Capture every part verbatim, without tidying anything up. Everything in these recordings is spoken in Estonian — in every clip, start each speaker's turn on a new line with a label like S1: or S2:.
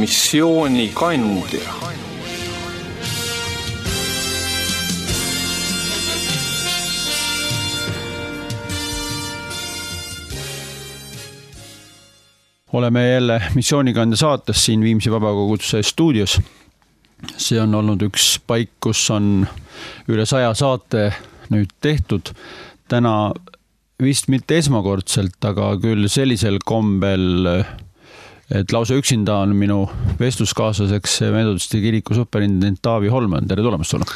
S1: missioonikandja.
S2: Oleme jälle missioonikandja saates siin Viimsi Vabakoguduse stuudios. See on olnud üks paik, kus on üle saja saate nüüd tehtud. Täna vist mitte esmakordselt, aga küll sellisel kombel, et lausa üksinda on minu vestluskaaslaseks Metodisti kiriku superintendent Taavi Holman. Tere tulemast sulle.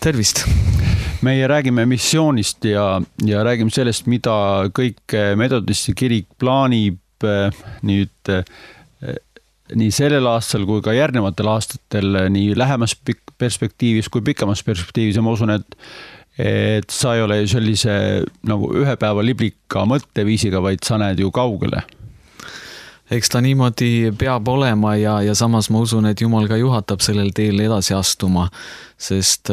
S3: Tervist.
S2: Meie räägime missioonist ja, ja räägime sellest, mida kõik Metodisti kirik plaanib nüüd nii sellel aastal kui ka järgnevatel aastatel nii lähemas perspektiivis kui pikamas perspektiivis ja ma usun, et, et sa ei ole sellise nagu ühe päeva liblika mõtteviisiga, vaid sa näed ju kaugele.
S3: Eks ta niimoodi peab olema ja, ja samas ma usun, et Jumal ka juhatab sellel teel edasi astuma, sest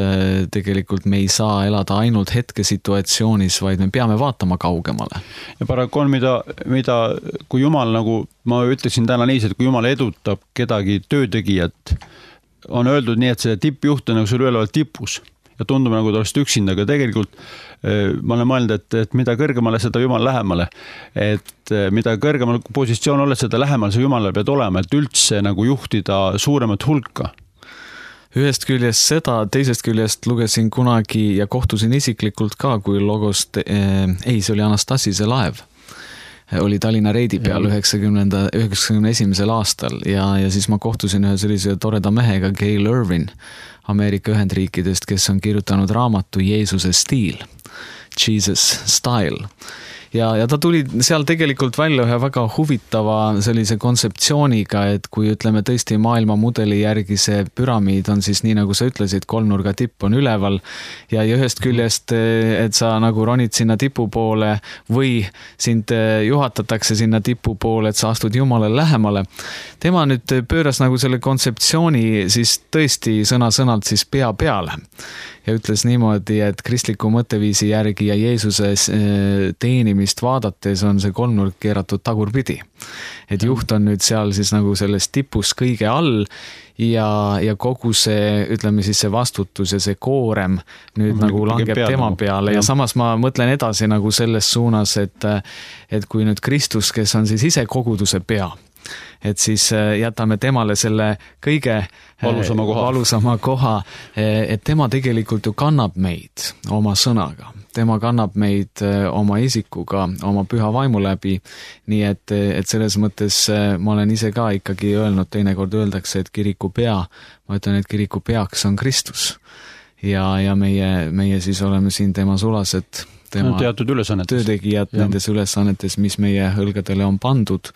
S3: tegelikult me ei saa elada ainult hetke situatsioonis, vaid me peame vaatama kaugemale.
S2: Ja paraku on, mida, mida kui Jumal, nagu ma ütleksin täna niiviisi, et kui Jumal edutab kedagi töötegijat, on öeldud nii, et see tippjuht on nagu sul üleval tipus ja tundub nagu ta oleks üksinda, aga tegelikult ma olen mõelnud, et, et mida kõrgemale seda Jumal lähemale, et mida kõrgemal positsioon oled, seda lähemal sa Jumalale pead olema, et üldse nagu juhtida suuremat hulka.
S3: Ühest küljest seda, teisest küljest lugesin kunagi ja kohtusin isiklikult ka, kui logost, eh, ei, see oli Anastasise laev, oli Tallinna reidi peal üheksakümne esimesel aastal ja, ja siis ma kohtusin ühe sellise toreda mehega, Gail Irvin, Ameerika Ühendriikidest, kes on kirjutanud raamatu Jeesuse stiil, Jesus Style. Ja, ja ta tuli seal tegelikult välja ühe väga huvitava sellise kontseptsiooniga, et kui ütleme tõesti maailma mudeli järgi see püramiid on siis nii nagu sa ütlesid, kolmnurga tipp on üleval ja, ja ühest küljest, et sa nagu ronid sinna tipu poole või sind juhatatakse sinna tipu poole, et sa astud Jumalale lähemale. Tema nüüd pööras nagu selle kontseptsiooni siis tõesti sõna-sõnalt siis pea peale ja ütles niimoodi, et kristliku mõtteviisi järgi ja Jeesuse teenimist vaadates on see kolmnurk keeratud tagurpidi. Et juht on nüüd seal siis nagu selles tipus kõige all ja, ja kogu see, ütleme siis see vastutus ja see koorem nüüd mm, nagu langeb peale, tema peale ja, ja samas ma mõtlen edasi nagu selles suunas, et, et kui nüüd Kristus, kes on siis ise koguduse pea, et siis jätame temale selle kõige
S2: valusama koha.
S3: valusama koha, et tema tegelikult ju kannab meid oma sõnaga. Tema kannab meid oma isikuga, oma püha vaimu läbi, nii et, et selles mõttes ma olen ise ka ikkagi öelnud, teinekord öeldakse, et kiriku pea, ma ütlen, et kiriku peaks on Kristus ja, ja meie, meie siis oleme siin tema sulased tema
S2: teatud
S3: töötegijad ja. Nendes ülesannetes, mis meie õlgadele on pandud.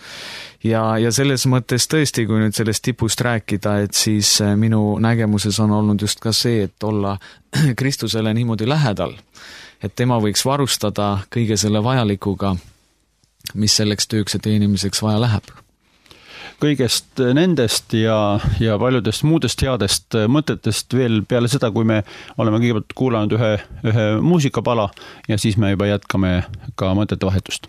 S3: Ja, ja selles mõttes tõesti, kui nüüd sellest tipust rääkida, et siis minu nägemuses on olnud just ka see, et olla Kristusele niimoodi lähedal, et tema võiks varustada kõige selle vajalikuga, mis selleks tööks ja teenimiseks vaja läheb.
S2: Kõigest nendest ja, ja paljudest muudest headest mõtetest veel peale seda, kui me oleme kõigepealt kuulanud ühe, ühe muusikapala ja siis me juba jätkame ka mõtete vahetust.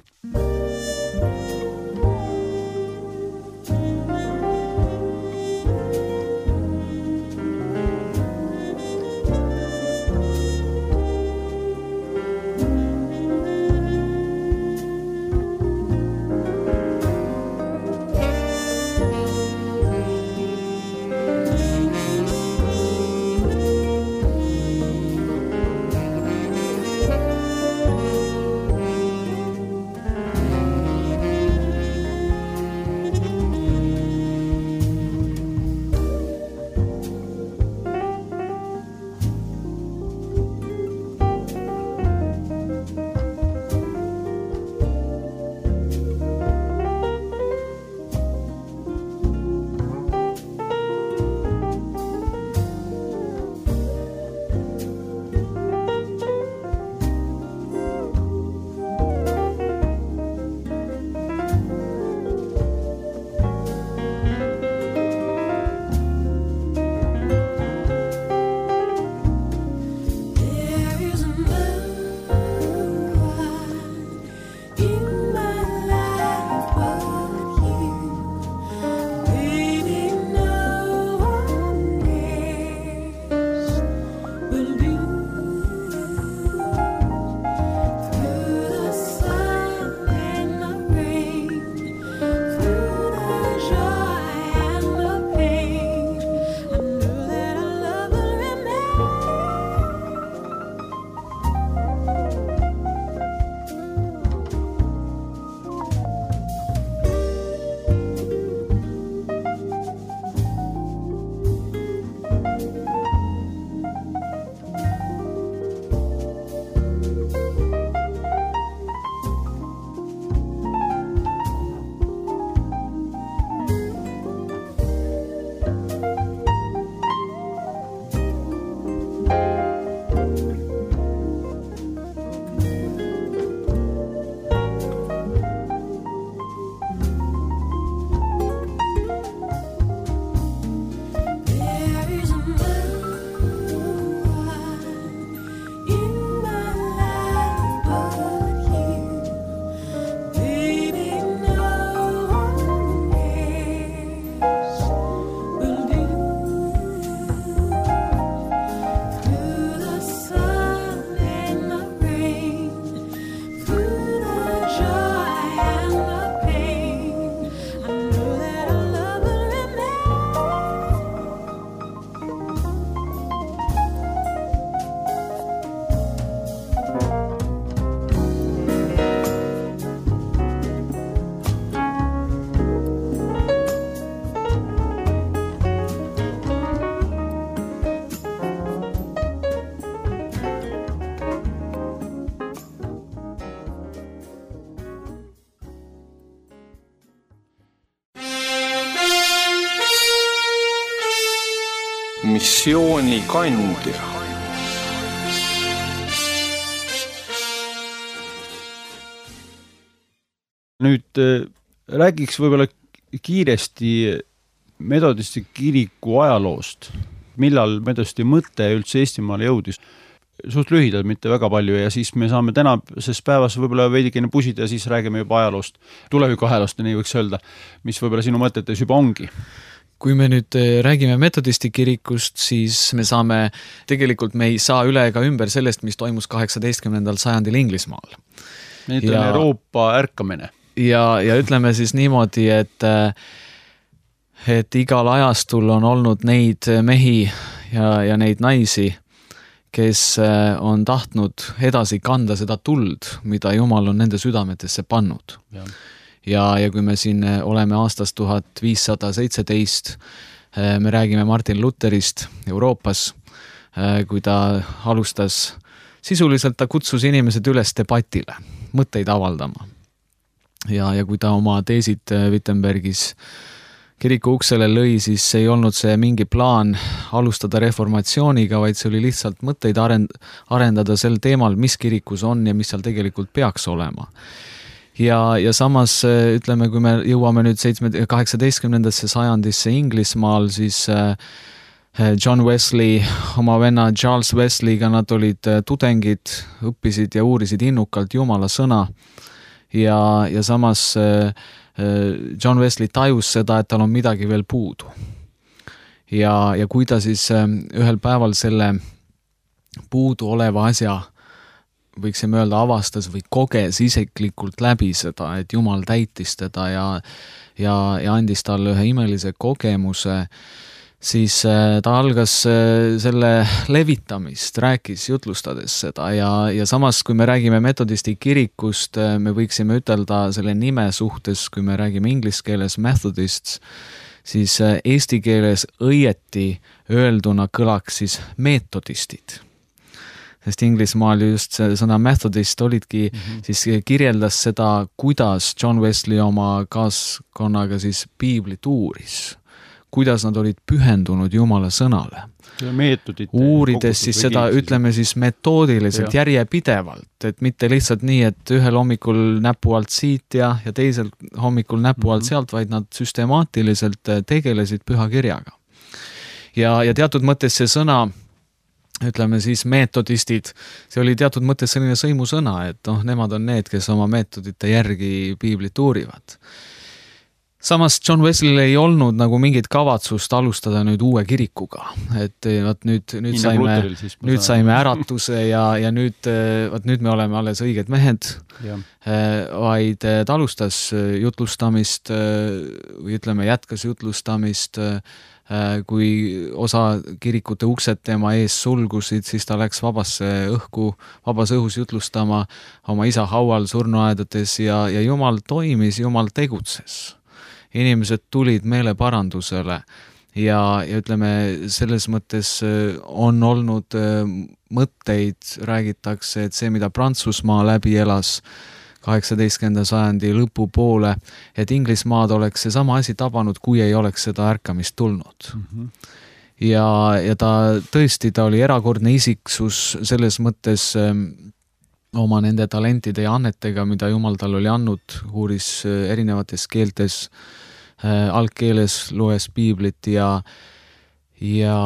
S1: missioonikandja.
S2: Nüüd räägiks võib-olla kiiresti metodisti kiriku ajaloost. Millal metodisti mõte üldse Eestimaale jõudis? Suht lühidalt, mitte väga palju, ja siis me saame tänases päevas võib-olla veidikene pusida ja siis räägime juba ajaloost, tuleviku ajaloost, nii võiks öelda, mis võib-olla sinu mõtetes juba ongi.
S3: Kui me nüüd räägime metodisti kirikust, siis me saame, tegelikult me ei saa üle ega ümber sellest, mis toimus kaheksateistkümnendal sajandil Inglismaal.
S2: Need on Euroopa ärkamine.
S3: Ja, ja ütleme siis niimoodi, et, et igal ajastul on olnud neid mehi ja, ja neid naisi, kes on tahtnud edasi kanda seda tuld, mida Jumal on nende südametesse pannud. Ja, ja, ja kui me siin oleme aastast tuhat viissada seitseteist, me räägime Martin Lutherist Euroopas, kui ta alustas, sisuliselt ta kutsus inimesed üles debatile, mõtteid avaldama. Ja, ja kui ta oma teesid Wittenbergis kiriku uksele lõi, siis ei olnud see mingi plaan alustada reformatsiooniga, vaid see oli lihtsalt mõtteid arendada sel teemal, mis kirikus on ja mis seal tegelikult peaks olema. Ja, ja samas, ütleme, kui me jõuame nüüd kaheksateistkümnendasse sajandisse Inglismaal, siis John Wesley, oma venna Charles Wesleyga, nad olid tudengid, õppisid ja uurisid innukalt Jumala sõna ja, ja samas John Wesley tajus seda, et tal on midagi veel puudu. Ja, ja kui ta siis ühel päeval selle puudu oleva asja, võiksime öelda, avastas või koges isiklikult läbi seda, et Jumal täitis teda ja, ja, ja andis talle ühe imelise kogemuse, siis ta algas selle levitamist, rääkis jutlustades seda ja, ja samas, kui me räägime metodisti kirikust, me võiksime ütelda selle nime suhtes, kui me räägime inglise keeles Methodists, siis eesti keeles õieti öelduna kõlaks siis meetodistid. Sest Inglismaal just see sõna methodist olidki, mm-hmm. siis kirjeldas seda, kuidas John Wesley oma kaaskonnaga siis piiblit uuris. Kuidas nad olid pühendunud Jumala sõnale. Uurides siis seda, ütleme siis metoodiliselt, ja. järjepidevalt, et mitte lihtsalt nii, et ühel hommikul näpu alt siit ja, ja teisel hommikul näpu alt sealt, vaid nad süstemaatiliselt tegelesid pühakirjaga. Ja, ja teatud mõttes see sõna, ütleme siis meetodistid, see oli teatud mõttes selline sõimusõna, et noh, nemad on need, kes oma meetodite järgi piiblit uurivad. Samas John Wesley ei olnud nagu mingit kavatsust alustada nüüd uue kirikuga, et vaat nüüd, nüüd, saime, nüüd saime äratuse ja, ja nüüd, vaat nüüd me oleme alles õiged mehed, ja. vaid ta alustas jutlustamist või ütleme jätkas jutlustamist, kui osa kirikute uksed tema ees sulgusid, siis ta läks vabasse õhku, vabas õhus jutlustama oma isa haual surnuaedades ja, ja Jumal toimis, Jumal tegutses. Inimesed tulid meeleparandusele ja, ja ütleme, selles mõttes on olnud mõtteid, räägitakse, et see, mida Prantsusmaa läbi elas kaheksateistkümnenda sajandi lõpupoole, et Inglismaad oleks see sama asi tabanud, kui ei oleks seda ärkamist tulnud. Mm-hmm. Ja, ja ta tõesti, ta oli erakordne isiksus selles mõttes oma nende talentide ja annetega, mida Jumal tal oli andnud, uuris erinevates keeltes, algkeeles loes piiblit ja, ja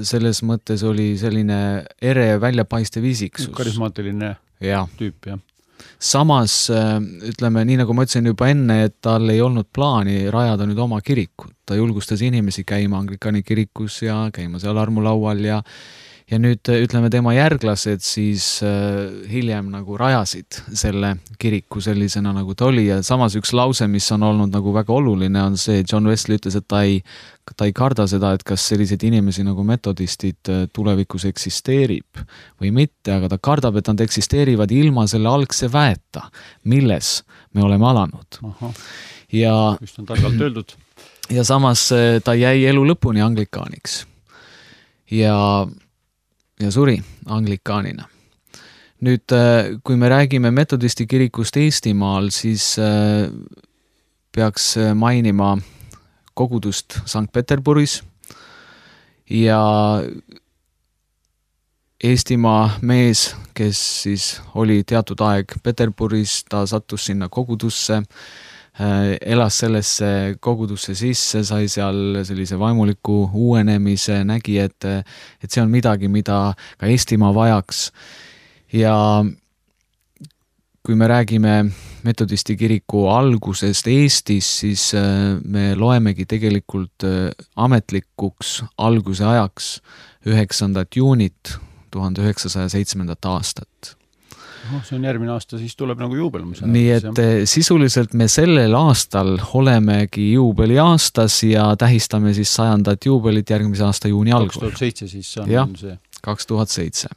S3: selles mõttes oli selline ere väljapaistev isiksus.
S2: Karismaatiline ja. Tüüp, jah.
S3: Samas, ütleme, nii nagu ma ütlesin juba enne, et tal ei olnud plaani rajada nüüd oma kirikut. Ta julgustas inimesi käima Anglikani kirikus ja käima seal armulaual ja Ja nüüd, ütleme, tema järglased siis äh, hiljem nagu rajasid selle kiriku sellisena, nagu ta oli ja samas üks lause, mis on olnud nagu väga oluline, on see, John Wesley ütles, et ta ei, ta ei karda seda, et kas selliseid inimesi nagu metodistid tulevikus eksisteerib või mitte, aga ta kardab, et nad eksisteerivad ilma selle algse väeta, milles me oleme alanud.
S2: Aha.
S3: Ja,
S2: just on targalt öeldud.
S3: Ja samas ta jäi elu lõpuni anglikaaniks. Ja ja suri anglikaanina. Nüüd, kui me räägime metodisti kirikust Eestimaal, siis peaks mainima kogudust Sankt Peterburis ja Eestimaa mees, kes siis oli teatud aeg Peterburis, ta sattus sinna kogudusse, elas sellesse kogudusse sisse, sai seal sellise vaimuliku uuenemise, nägi, et, et see on midagi, mida ka Eestimaa vajaks. Ja kui me räägime metodisti kiriku algusest Eestis, siis me loemegi tegelikult ametlikuks alguse ajaks üheksandat juunit tuhande üheksasaja seitsmendat aastat.
S2: Oh, see on järgmine aasta, siis tuleb nagu juubelmus.
S3: Nii et sisuliselt me sellel aastal olemegi juubeli aastas ja tähistame siis sajandat juubelit järgmise aasta juuni algul.
S2: kaks tuhat seitse siis on
S3: ja,
S2: see.
S3: kaks tuhat seitse.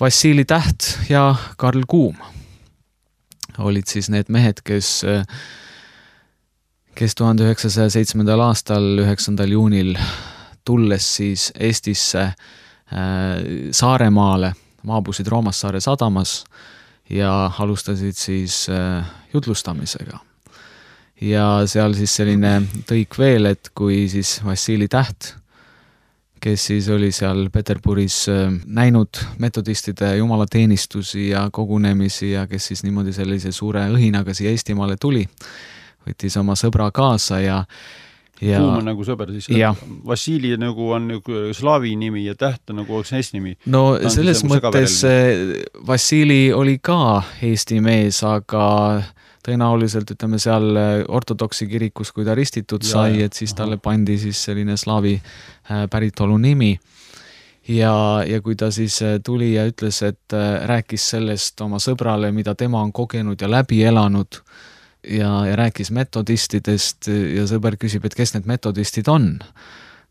S3: Vassili Täht ja Karl Kuum olid siis need mehed, kes, kes tuhande üheksasaja seitsmendal aastal üheksandal juunil tulles siis Eestisse Saaremaale, maabusid Roomassaare sadamas ja alustasid siis jutlustamisega. Ja seal siis selline tõik veel, et kui siis Vassili Täht, kes siis oli seal Peterburis näinud metodistide jumalateenistusi ja kogunemisi ja kes siis niimoodi sellise suure õhinaga siia Eestimaale tuli, võttis oma sõbra kaasa ja Ja,
S2: Kuum on nagu sõber, siis
S3: ja.
S2: Vassili nagu on nagu slaavi nimi ja Täht on nagu oleks Eesti nimi.
S3: No selles mõttes Vassili oli ka Eesti mees, aga tõenäoliselt ütleme seal ortodoksi kirikus, kui ta ristitud ja, sai, et siis talle pandi siis selline slaavi päritolu nimi. Ja, ja kui ta siis tuli ja ütles, et rääkis sellest oma sõbrale, mida tema on kogenud ja läbi elanud, Ja, ja rääkis metodistidest ja sõber küsib, et kes need metodistid on.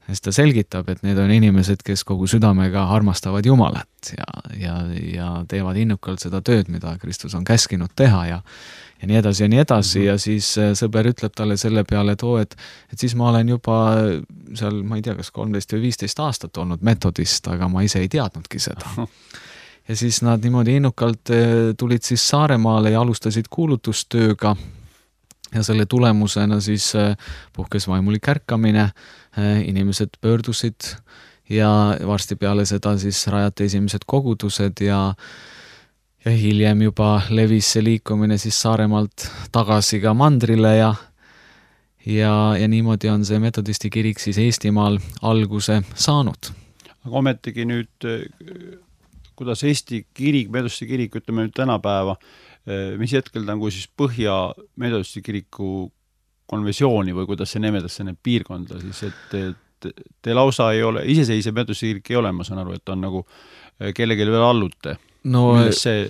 S3: Ja siis ta selgitab, et need on inimesed, kes kogu südamega armastavad Jumalat ja, ja, ja teevad innukalt seda tööd, mida Kristus on käskinud teha ja, ja nii edasi ja nii edasi. Ja siis sõber ütleb talle selle peale, et, oo, et, et siis ma olen juba seal, ma ei tea, kas kolmteist või viisteist aastat olnud metodist, aga ma ise ei teadnudki seda. Ja siis nad niimoodi innukalt tulid siis Saaremaale ja alustasid kuulutustööga. Ja selle tulemusena siis puhkes vaimulik ärkamine, inimesed pöördusid ja varsti peale seda siis rajati esimesed kogudused ja, ja hiljem juba levis see liikumine siis Saaremaalt tagasi ka mandrile ja, ja, ja niimoodi on see metodisti kirik siis Eestimaal alguse saanud.
S2: Aga ometigi nüüd, kuidas Eesti kirik, metodisti kirik, ütleme nüüd tänapäeva, mis hetkel ta on kui siis Põhja metodisti kiriku konversiooni või kuidas see nimetakse need piirkonda, siis et, et te lausa ei ole, iseseisev metodisti kirik ei ole, ma saan aru, et on nagu kellelegi veel allute.
S3: No see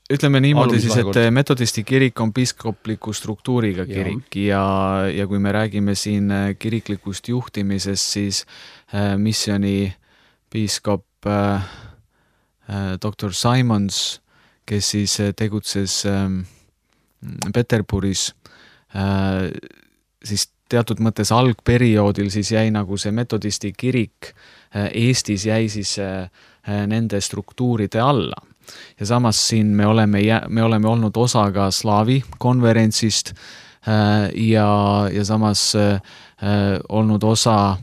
S3: ütleme niimoodi siis, et metodisti kirik on piiskopliku struktuuriga kirik ja, ja, ja kui me räägime siin kiriklikust juhtimisest, siis äh, missiooni piiskop äh, doktor Simons, kes siis tegutses Peterburis, siis teatud mõttes algperioodil siis jäi nagu see metodisti kirik Eestis jäi siis nende struktuuride alla. Ja samas siin me oleme, me oleme olnud osa ka slaavi konverentsist ja, ja samas olnud osa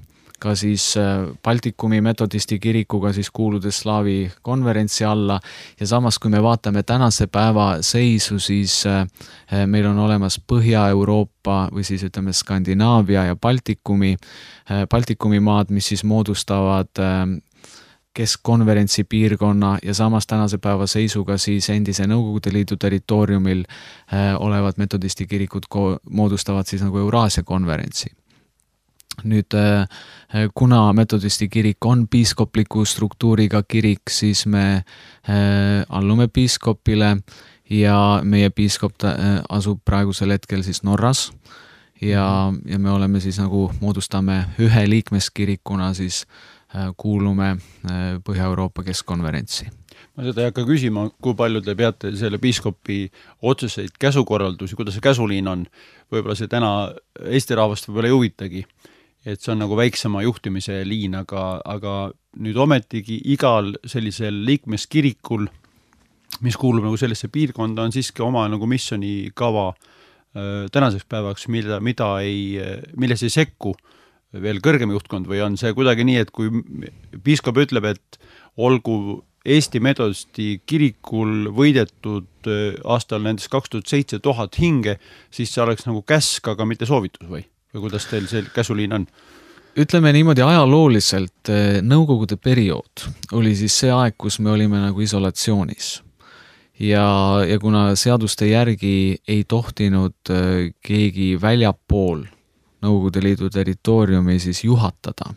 S3: ka siis Baltikumi metodisti kirikuga siis kuuludes slaavi konverentsi alla ja samas kui me vaatame tänase päeva seisu, siis meil on olemas Põhja-Euroopa või siis ütleme Skandinaavia ja Baltikumi, Baltikumi maad, mis siis moodustavad keskkonverentsi piirkonna ja samas tänase päeva seisuga siis endise Nõukogude Liidu territooriumil olevad metodisti kirikud moodustavad siis nagu Euraasia konverentsi. Nüüd, kuna metodisti kirik on piiskopliku struktuuriga kirik, siis me allume piiskopile ja meie piiskop asub praegusel hetkel siis Norras ja, ja me oleme siis nagu moodustame ühe liikmeskirikuna siis kuulume Põhja-Euroopa keskkonverentsi.
S2: Ma seda ei hakka küsima, kui palju te peate selle piiskopi otseseid käsukorraldusi, kuidas see käsuliin on, võib-olla see täna Eesti rahvast võib-olla ei huvitagi, et see on nagu väiksema juhtimise liin, aga, aga nüüd ometigi igal sellisel liikmeskirikul, mis kuulub nagu sellesse piirkonda, on siiski oma nagu missionikava tänaseks päevaks, mida, mida ei, milles ei sekku veel kõrgem juhtkond või on see kuidagi nii, et kui piiskop ütleb, et olgu Eesti Metodisti kirikul võidetud aastal nendest kaks tuhat seitse tuhat hinge, siis see oleks nagu käsk, aga mitte soovitus või? Või kuidas teil see käsuliin on?
S3: Ütleme niimoodi ajalooliselt, nõukogude periood oli siis see aeg, kus me olime nagu isolatsioonis. Ja, ja kuna seaduste järgi ei tohtinud keegi väljapool Nõukogude Liidu territooriumi siis juhatada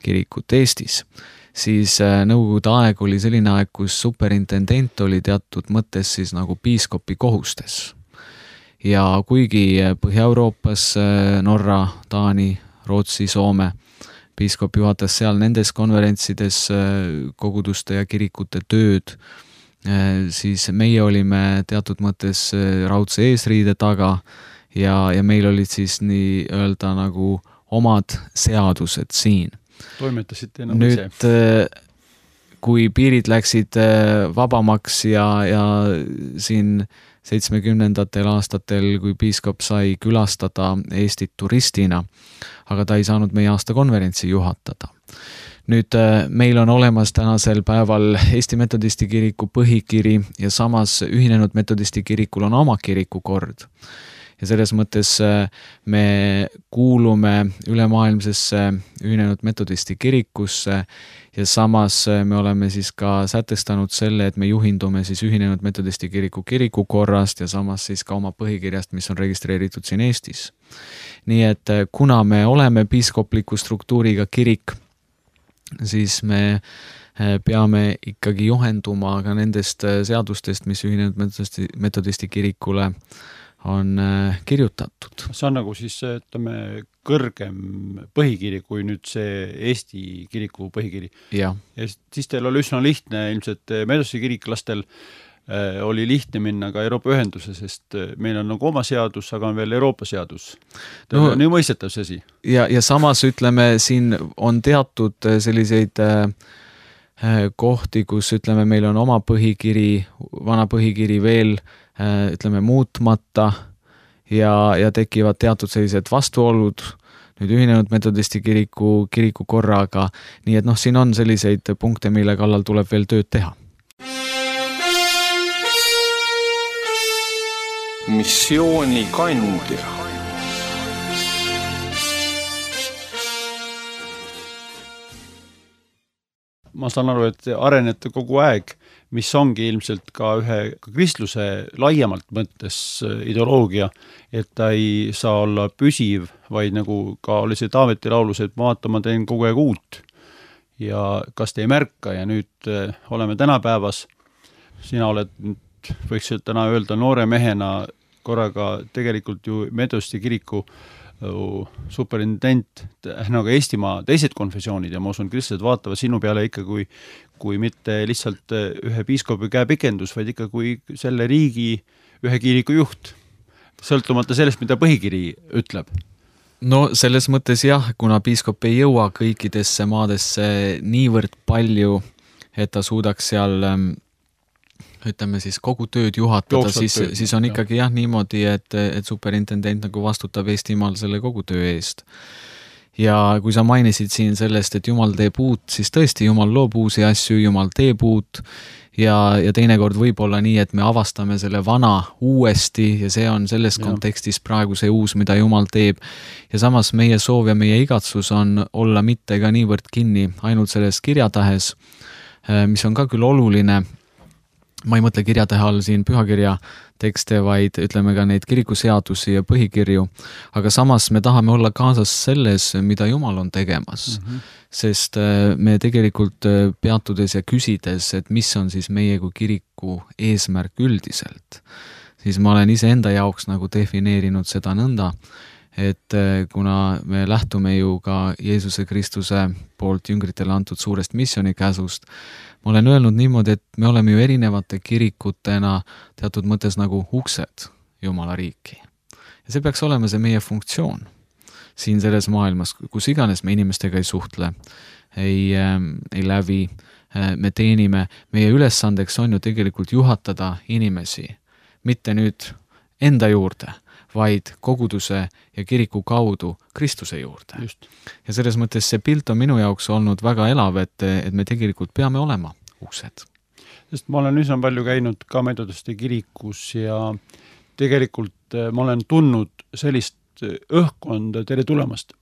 S3: kirikut Eestis, siis nõukogude aeg oli selline aeg, kus superintendent oli teatud mõttes siis nagu piiskopi kohustes. Ja kuigi Põhja-Euroopas Norra, Taani, Rootsi, Soome piiskop juhatas seal nendes konverentsides koguduste ja kirikute tööd, siis meie olime teatud mõttes raudse eesriide taga ja, ja meil olid siis nii öelda nagu omad seadused siin.
S2: Toimetasite enam
S3: Nüüd, ise? Kui piirid läksid vabamaks ja, ja siin seitsmekümnendatel aastatel, kui piiskop sai külastada Eestit turistina, aga ta ei saanud meie aastakonverentsi juhatada. Nüüd meil on olemas tänasel päeval Eesti Metodisti kiriku põhikiri ja samas Ühinenud Metodisti kirikul on oma kirikukord. Ja selles mõttes me kuulume ülemaailmsesse Ühinenud Metodisti kirikusse ja samas me oleme siis ka sätestanud selle, et me juhindume siis Ühinenud Metodisti kiriku kirikukorrast ja samas siis ka oma põhikirjast, mis on registreeritud siin Eestis. Nii et kuna me oleme piiskopliku struktuuriga kirik, siis me peame ikkagi juhenduma ka nendest seadustest, mis Ühinenud Metodisti, Metodisti kirikule on kirjutatud.
S2: See on nagu siis, ütleme, kõrgem põhikiri kui nüüd see Eesti kiriku põhikiri.
S3: Ja.
S2: Ja siis teil oli üsna lihtne, ilmselt Metodisti kiriklastel oli lihtne minna ka Euroopa ühenduse, sest meil on nagu oma seadus, aga on veel Euroopa seadus. No, on nii mõistetav see asi.
S3: Ja, ja samas ütleme, siin on teatud selliseid kohti, kus ütleme, meil on oma põhikiri, vana põhikiri veel ütleme muutmata ja, ja tekivad teatud sellised vastuolud nüüd Ühinenud Metodisti kiriku, kiriku korraga, nii et noh, siin on selliseid punkte, mille kallal tuleb veel tööd teha.
S1: Missiooni kandja.
S2: Ma saan aru, et arenete kogu aeg, mis ongi ilmselt ka ühe kristluse laiemalt mõttes ideoloogia, et ta ei saa olla püsiv, vaid nagu ka oli see Taaveti laulus, et vaata, ma teen kogu aeg uut. Ja kas te ei märka ja nüüd oleme tänapäevas, sina oled, võiks täna öelda noore mehena korraga tegelikult ju Metodisti kiriku superintendent, nagu Eestimaa teised konfessioonid ja ma usun, kristlased vaatavad sinu peale ikka kui, kui mitte lihtsalt ühe piiskopi käepikendus, vaid ikka kui selle riigi ühe kiriku juht, sõltumata sellest, mida põhikiri ütleb.
S3: No selles mõttes jah, kuna piiskop ei jõua kõikidesse maadesse niivõrd palju, et ta suudaks seal ütleme siis kogu tööd juhatada, siis, tööd, siis on ikkagi jah niimoodi, et, et superintendent nagu vastutab Eestimaal selle kogu töö eest. Ja kui sa mainisid siin sellest, et Jumal teeb uut, siis tõesti Jumal loob uusi asju, Jumal teeb uut ja, ja teinekord võib olla nii, et me avastame selle vana uuesti ja see on selles ja. kontekstis praegu see uus, mida Jumal teeb. Ja samas meie soov ja meie igatsus on olla mitte ka niivõrd kinni ainult selles kirjatahes, mis on ka küll oluline. Ma ei mõtle kirjatähe all siin pühakirja tekste, vaid ütleme ka neid kirikuseadusi ja põhikirju, aga samas me tahame olla kaasas selles, mida Jumal on tegemas, mm-hmm. sest me tegelikult peatudes ja küsides, et mis on siis meie kui kiriku eesmärk üldiselt, siis ma olen ise enda jaoks nagu defineerinud seda nõnda, et kuna me lähtume ju ka Jeesuse Kristuse poolt jüngritele antud suurest missiooni käsust, ma olen öelnud niimoodi, et me oleme ju erinevate kirikutena teatud mõttes nagu uksed Jumala riiki. Ja see peaks olema see meie funktsioon siin selles maailmas, kus iganes me inimestega ei suhtle, ei, ei lävi, me teenime. Meie ülesandeks on ju tegelikult juhatada inimesi, mitte nüüd enda juurde, vaid koguduse ja kiriku kaudu Kristuse juurde.
S2: Just.
S3: Ja selles mõttes see pilt on minu jaoks olnud väga elav, et, et me tegelikult peame olema uksed.
S2: Sest ma olen üsna palju käinud ka metodiste kirikus ja tegelikult ma olen tundnud sellist õhkkonda tere tulemast.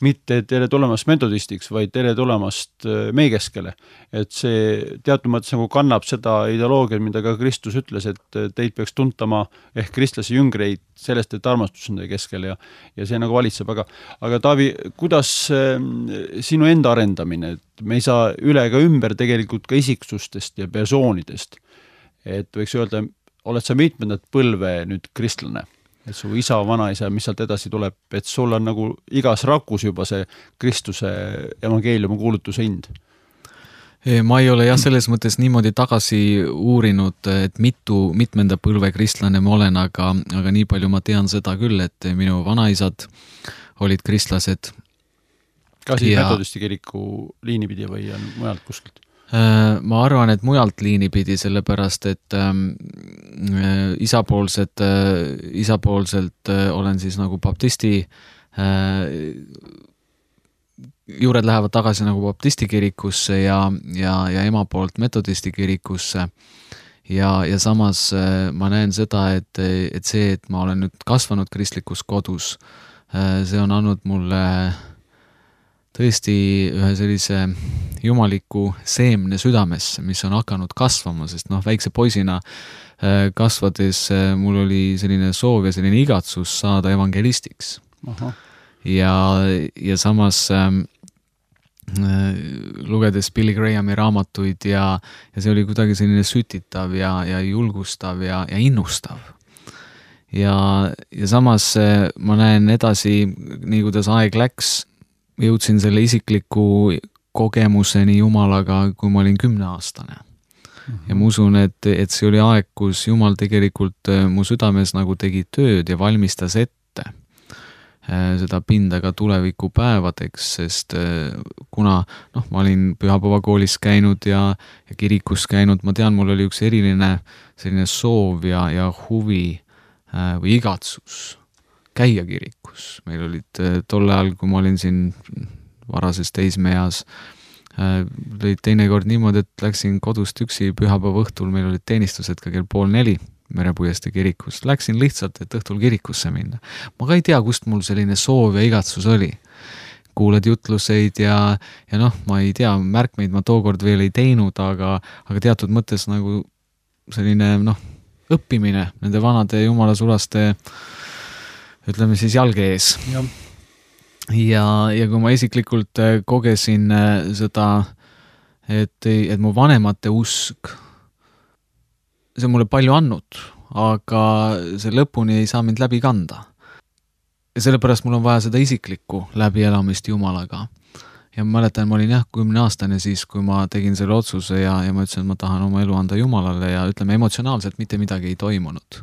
S2: Mitte tere tulemast metodistiks, vaid tere tulemast meie keskele. Et see teatud mõttes nagu kannab seda ideoloogiat, mida ka Kristus ütles, et teid peaks tuntama ehk kristlase jüngreid sellest, et armastus on teie keskel ja, ja see nagu valitseb. Aga, aga Taavi, kuidas sinu enda arendamine, et me ei saa üle ega ümber tegelikult ka isiksustest ja persoonidest. Et võiks öelda, oled sa mitmendat põlve nüüd kristlane? Et su isa, vanaisa, mis sealt edasi tuleb, et sul on nagu igas rakus juba see Kristuse evangeeliumi kuulutuse hind?
S3: Ma ei ole jah selles mõttes niimoodi tagasi uurinud, et mitu, mitmenda põlve kristlane ma olen, aga, aga nii palju ma tean seda küll, et minu vanaisad olid kristlased.
S2: Ka siis ja... metodisti kiriku liini pidi või on mujalt kuskilt?
S3: Ma arvan, et mujalt liini pidi, sellepärast, et ähm, isapoolset, äh, isapoolselt äh, olen siis nagu baptisti äh, juured lähevad tagasi nagu baptisti kirikusse ja, ja, ja ema poolt metodisti kirikusse ja, ja samas äh, ma näen seda, et, et see, et ma olen nüüd kasvanud kristlikus kodus, äh, see on andnud mulle tõesti ühe sellise jumaliku seemne südamesse, mis on hakanud kasvama, sest noh, väikse poisina kasvades mul oli selline soov ja selline igatsus saada evangelistiks. Aha. Ja, ja samas äh, lugedes Billy Grahami raamatuid ja, ja see oli kuidagi selline sütitav ja, ja julgustav ja, ja innustav. Ja, ja samas äh, ma näen edasi, nii kuidas aeg läks, jõudsin selle isikliku kogemuseni Jumalaga, kui ma olin kümneaastane. Mm-hmm. Ja ma usun, et, et see oli aeg, kus Jumal tegelikult mu südames nagu tegi tööd ja valmistas ette seda pinda ka tulevikupäevadeks, sest kuna noh, ma olin pühapäevakoolis käinud ja, ja kirikus käinud, ma tean, mul oli üks eriline selline soov ja, ja huvi või igatsus käia kirikus. Meil olid tolle ajal, kui ma olin siin varases teismeeas, olid teinekord niimoodi, et läksin kodust üksi pühapäeva õhtul, meil olid teenistused ka kell pool neli Merepuiestee kirikus. Läksin lihtsalt, et õhtul kirikusse minna. Ma ka ei tea, kust mul selline soov ja igatsus oli. Kuuled jutluseid ja, ja noh, ma ei tea, märkmeid ma tookord veel ei teinud, aga, aga teatud mõttes nagu selline noh, õppimine nende vanade jumalasulaste ütleme siis jalge ees. Ja. Ja, ja kui ma isiklikult kogesin seda, et, et mu vanemate usk, see on mulle palju andnud, aga see lõpuni ei saa mind läbi kanda. Ja sellepärast mul on vaja seda isiklikku läbielamist Jumalaga. Ja ma mäletan, ma olin jah kümne aastane siis, kui ma tegin selle otsuse ja, ja ma ütlesin, et ma tahan oma elu anda Jumalale ja ütleme, emotsionaalselt mitte midagi ei toimunud.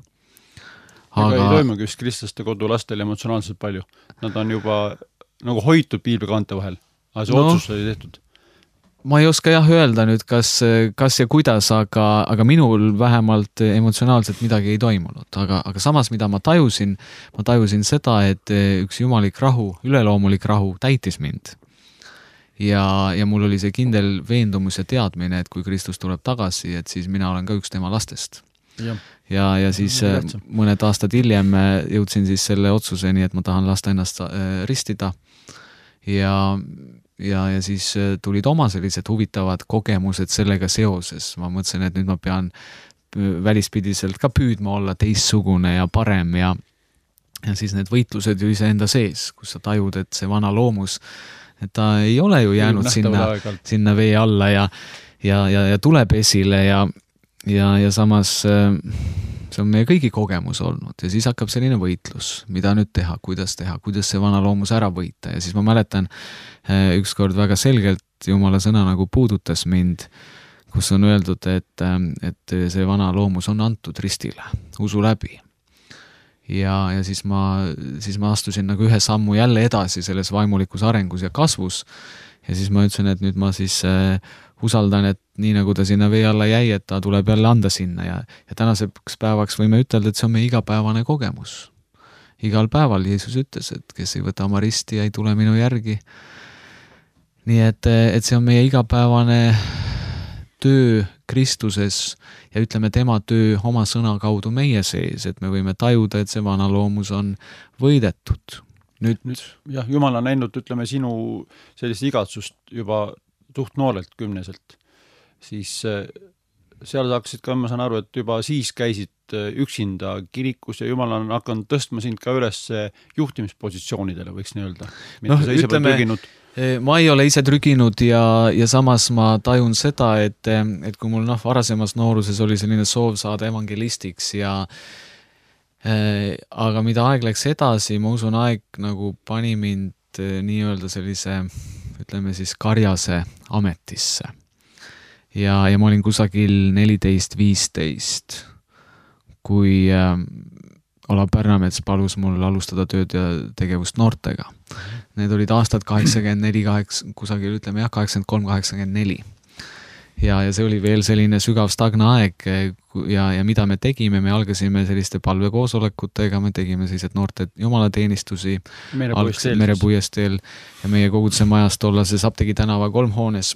S2: Aga ei toimugi vist kristlaste kodu lastel emotsionaalselt palju. Nad on juba nagu hoitud piiblikaante vahel, aga see no, otsus oli tehtud.
S3: Ma ei oska jah öelda nüüd, kas, kas ja kuidas, aga, aga minul vähemalt emotsionaalselt midagi ei toimunud. Aga, aga samas, mida ma tajusin, ma tajusin seda, et üks jumalik rahu, üleloomulik rahu täitis mind. Ja, ja mul oli see kindel veendumus ja teadmine, et kui Kristus tuleb tagasi, et siis mina olen ka üks tema lastest. Ja, ja, ja siis mõned aastad hiljem jõudsin siis selle otsuseni, et ma tahan lasta ennast ristida ja, ja, ja siis tulid oma sellised huvitavad kogemused sellega seoses. Ma mõtlesin, et nüüd ma pean välispidiselt ka püüdma olla teistsugune ja parem ja, ja siis need võitlused ju ise enda sees, kus sa tajud, et see vana loomus, et ta ei ole ju jäänud sinna, sinna vee alla ja, ja, ja, ja tuleb esile ja Ja, ja samas see on meie kõigi kogemus olnud ja siis hakkab selline võitlus, mida nüüd teha, kuidas teha, kuidas see vana loomus ära võita ja siis ma mäletan ükskord väga selgelt Jumala sõna nagu puudutas mind, kus on öeldud, et, et see vana loomus on antud ristile, usu läbi. Ja, ja siis ma, siis ma astusin nagu ühe sammu jälle edasi selles vaimulikus arengus ja kasvus ja siis ma ütlesin, et nüüd ma siis äh, usaldan, et nii nagu ta sinna vee alla jäi, et ta tuleb jälle anda sinna ja, ja tänaseks päevaks võime ütelda, et see on meie igapäevane kogemus. igal päeval Jeesus ütles, et kes ei võta oma risti ja ei tule minu järgi. Nii et, et see on meie igapäevane töö Kristuses ja ütleme tema töö oma sõna kaudu meie sees, et me võime tajuda, et see vana loomus on võidetud. Nüüd,
S2: Nüüd jah, Jumal on näinud, ütleme, sinu sellist igatsust juba suht noorelt kümneselt, siis seal saaksid ka, ma saan aru, et juba siis käisid üksinda kirikus ja Jumal on hakanud tõstma sind ka üles juhtimispositsioonidele, võiks nii öelda.
S3: No, ütleme, ma ei ole ise trüginud ja, ja samas ma tajun seda, et, et kui mul noh, varasemas nooruses oli selline soov saada evangelistiks ja äh, aga mida aeg läks edasi, ma usun, aeg nagu pani mind nii-öelda sellise, ütleme siis karjase ametisse. Ja, ja ma olin kusagil neliteist viisteist, kui äh, Olav Pärnamets palus mul alustada tööd ja tegevust noortega. Need olid aastad kaheksakümmend neli, kusagil ütleme jah, kaheksakümmend kolm kaheksakümmend neli. Ja, ja see oli veel selline sügav stagna aeg ja, ja mida me tegime, me algasime selliste palvekoosolekutega, me tegime sellised noorte jumalateenistusi Merepuiesteel ja meie koguduse majas tollases Apteegi tänava kolmhoones.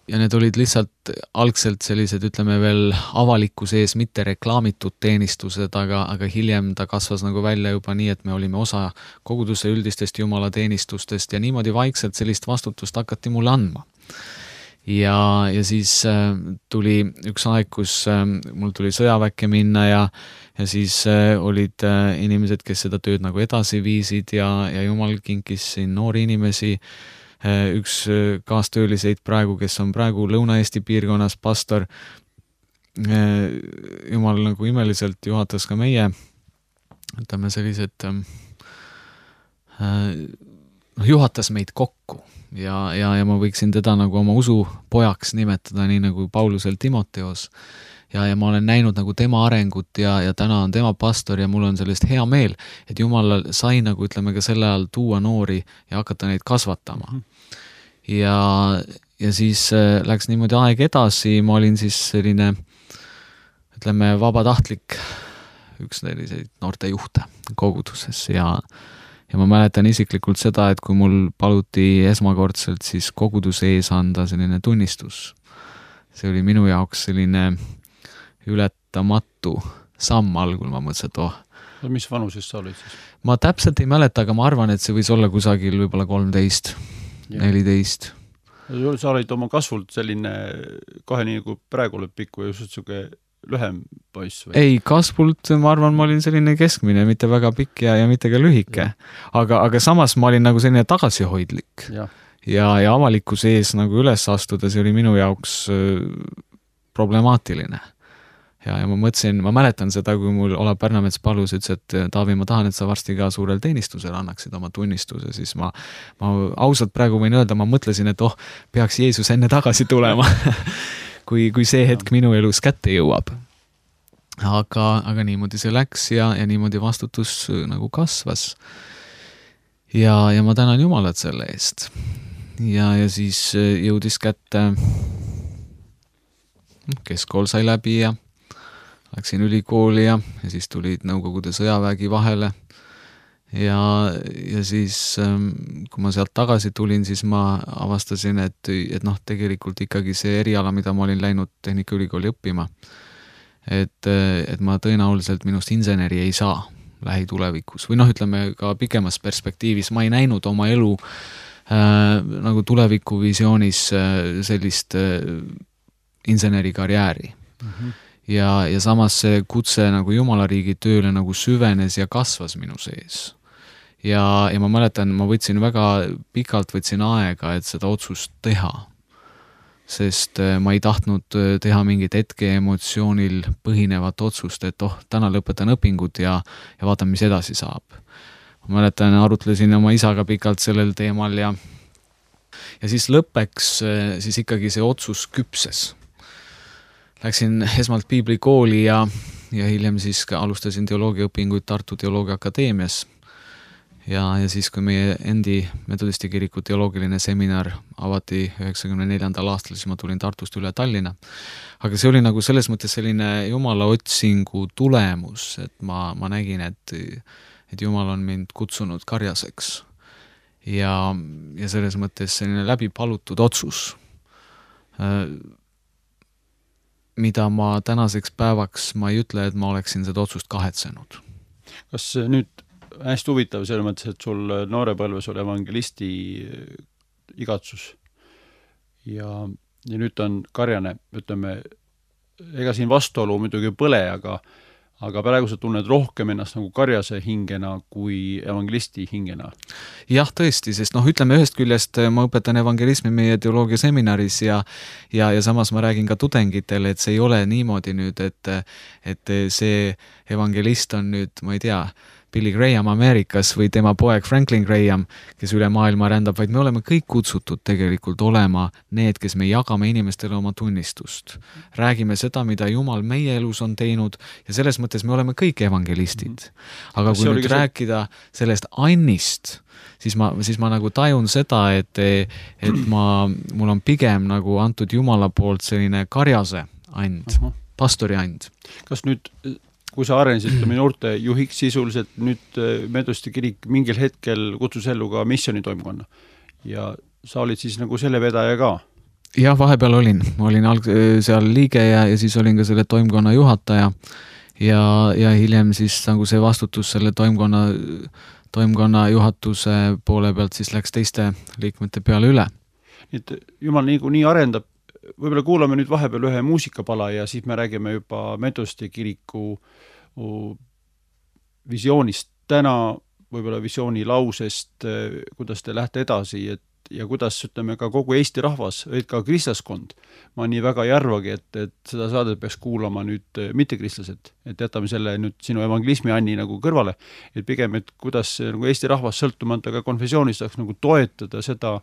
S3: Ja need olid lihtsalt algselt sellised, ütleme veel avaliku sees mitte reklaamitud teenistused, aga, aga hiljem ta kasvas nagu välja juba nii, et me olime osa koguduse üldistest jumalateenistustest ja niimoodi vaikselt sellist vastutust hakati mulle andma. Ja, ja siis äh, tuli üks aeg, kus äh, mul tuli sõjaväkke minna ja, ja siis äh, olid äh, inimesed, kes seda tööd nagu edasi viisid ja, ja Jumal kinkis siin noori inimesi, üks kaastööliseid praegu, kes on praegu Lõuna-Eesti piirkonnas pastor. Jumal nagu imeliselt juhatas ka meie, ütleme sellised, juhatas meid kokku ja, ja, ja ma võiksin teda nagu oma usu pojaks nimetada, nii nagu Paulusel Timoteos. Ja, ja ma olen näinud nagu tema arengut ja, ja täna on tema pastor ja mul on sellest hea meel, et Jumal sai nagu ütleme ka selle ajal tuua noori ja hakata neid kasvatama. Ja, ja siis läks niimoodi aeg edasi, ma olin siis selline, ütleme, vabatahtlik üks selliseid noorte juhte koguduses ja, ja ma mäletan isiklikult seda, et kui mul paluti esmakordselt siis koguduse ees anda selline tunnistus, see oli minu jaoks selline ületamatu samm algul, ma mõtlesin, et oh.
S2: No, mis vanuses sa olid siis?
S3: Ma täpselt ei mäleta, aga ma arvan, et see võis olla kusagil võib-olla kolmteist, neliteist.
S2: Sa olid oma kasvult selline kahe nii nagu praegu oled pikku ja just selline lühem poiss või?
S3: Ei, kasvult ma arvan, ma olin selline keskmine, mitte väga pikk ja, ja mitte ka lühike. Aga, aga samas ma olin nagu selline tagasihoidlik. Ja, ja, ja avalikkuse ees nagu üles astuda, see oli minu jaoks problemaatiline. Ja, ja ma mõtlesin, ma mäletan seda, kui mul Olav Pärnamets palus, ütles, et Taavi, ma tahan, et sa varsti ka suurel teenistusel annaksid oma tunnistuse, siis ma, ma ausalt praegu võin öelda, ma mõtlesin, et oh, peaks Jeesus enne tagasi tulema, kui, kui see hetk minu elus kätte jõuab. Aga, aga niimoodi see läks ja, ja niimoodi vastutus nagu kasvas. Ja, ja ma tänan Jumalat selle eest. Ja, ja siis jõudis kätte, keskkool sai läbi ja läksin ülikooli ja, ja siis tulid Nõukogude sõjavägi vahele ja, ja siis kui ma sealt tagasi tulin, siis ma avastasin, et, et noh, tegelikult ikkagi see eriala, mida ma olin läinud Tehnikaülikooli õppima, et, et ma tõenäoliselt minust inseneri ei saa lähitulevikus või noh, ütleme ka pikemas perspektiivis, ma ei näinud oma elu äh, nagu tulevikuvisioonis äh, sellist äh, insenerikarjääri. Mm-hmm. Ja, ja samas see kutse nagu Jumalariigi tööle nagu süvenes ja kasvas minu sees. Ja, ja ma mäletan, ma võtsin väga pikalt võtsin aega, et seda otsust teha. Sest ma ei tahtnud teha mingit hetke emotsioonil põhinevat otsust, et oh, täna lõpetan õpingud ja, ja vaatan, mis edasi saab. Ma mäletan, arutlesin oma isaga pikalt sellel teemal ja, ja siis lõppeks siis ikkagi see otsus küpses. Läksin esmalt piiblikooli ja, ja hiljem siis alustasin teoloogiaõpinguid Tartu Teoloogia Akadeemias. Ja, ja siis, kui meie endi Metodisti kiriku teoloogiline seminar avati üheksakümne neljandal aastal, siis ma tulin Tartust üle Tallinna. Aga see oli nagu selles mõttes selline Jumala otsingu tulemus, et ma, ma nägin, et, et Jumal on mind kutsunud karjaseks. Ja, ja selles mõttes selline läbi palutud otsus, mida ma tänaseks päevaks, ma ei ütle, et ma oleksin seda otsust kahetsenud.
S2: Kas nüüd hästi huvitav selles mõttes, et sul noorepõlves oli evangelisti igatsus ja, ja nüüd on karjane, ütleme, ega siin vastuolu muidugi põle, aga aga praegu sa tunned rohkem ennast nagu karjase hingena kui evangelisti hingena.
S3: Jah, tõesti, sest noh, ütleme ühest küljest ma õpetan evangelismi meie teoloogia seminaris ja, ja, ja samas ma räägin ka tudengitele, et see ei ole niimoodi nüüd, et, et see evangelist on nüüd, ma ei tea, Billy Graham Ameerikas või tema poeg Franklin Graham, kes üle maailma rändab, vaid me oleme kõik kutsutud tegelikult olema need, kes me jagame inimestele oma tunnistust. Räägime seda, mida Jumal meie elus on teinud ja selles mõttes me oleme kõik evangelistid. Aga kui nüüd rääkida sellest annist, siis ma, siis ma nagu tajun seda, et, et ma, mul on pigem nagu antud Jumala poolt selline karjase and, pastori and.
S2: Kas nüüd kui sa arenesid noorte juhiks sisuliselt, nüüd Metodisti kirik mingil hetkel kutsus ellu ka missionitoimkonna ja sa olid siis nagu selle vedaja ka?
S3: Jah, vahepeal olin. Ma olin alg- seal liige ja, ja siis olin ka selle toimkonna juhataja ja, ja hiljem siis nagu see vastutus selle toimkonna, toimkonna juhatuse poole pealt siis läks teiste liikmete peale üle.
S2: Nii et Jumal nii, nii arendab, võib-olla kuulame nüüd vahepeal ühe muusikapala ja siis me räägime juba Metodisti kiriku visioonist täna, võib-olla visiooni lausest, kuidas te lähete edasi et, ja kuidas, ütleme, ka kogu Eesti rahvas, või ka kristlaskond. Ma nii väga ei arvagi, et, et seda saadet peaks kuulama nüüd mittekristlased, et jätame selle nüüd sinu evangelismi Anni nagu kõrvale, et pigem, et kuidas nagu Eesti rahvas sõltumata ka konfessioonist saaks nagu toetada seda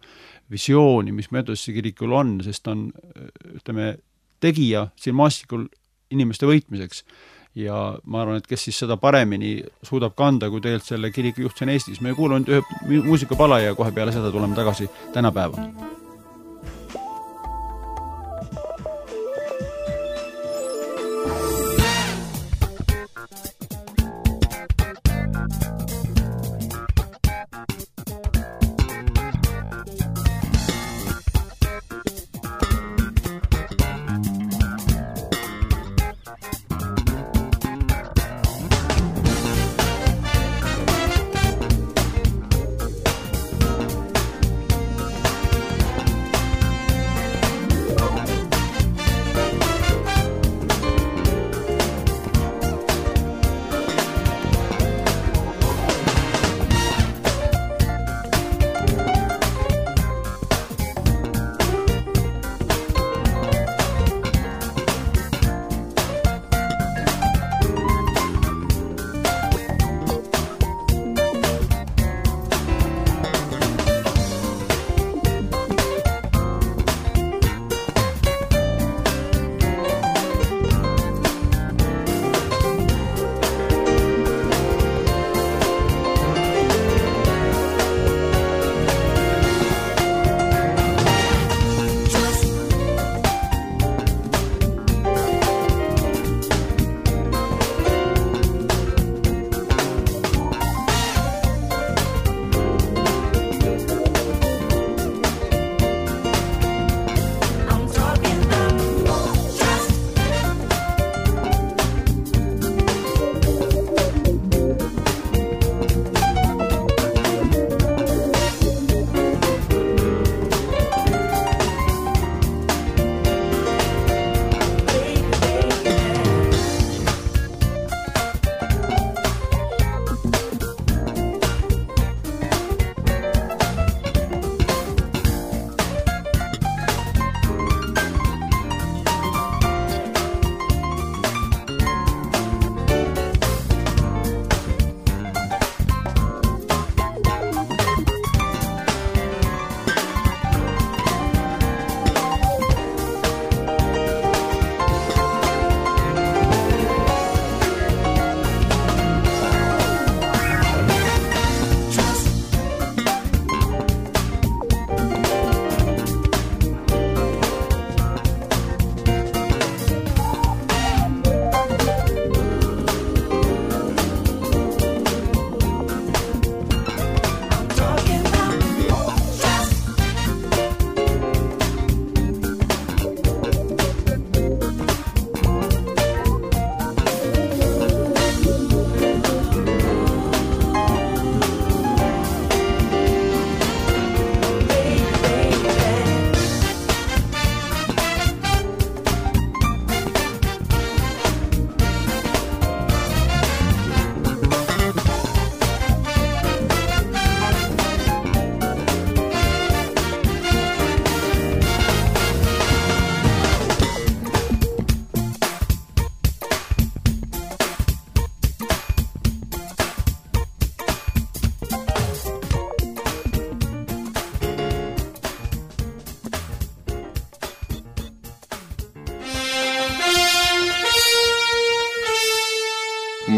S2: visiooni, mis Metodisti kirikul on, sest on, ütleme, tegija siin maastikul inimeste võitmiseks. Ja ma arvan, et kes siis seda paremini suudab kanda, kui tegelikult selle kiriku juht siin Eestis. Me kuulame ühe muusikapala ja kohe peale seda tuleme tagasi tänapäeva.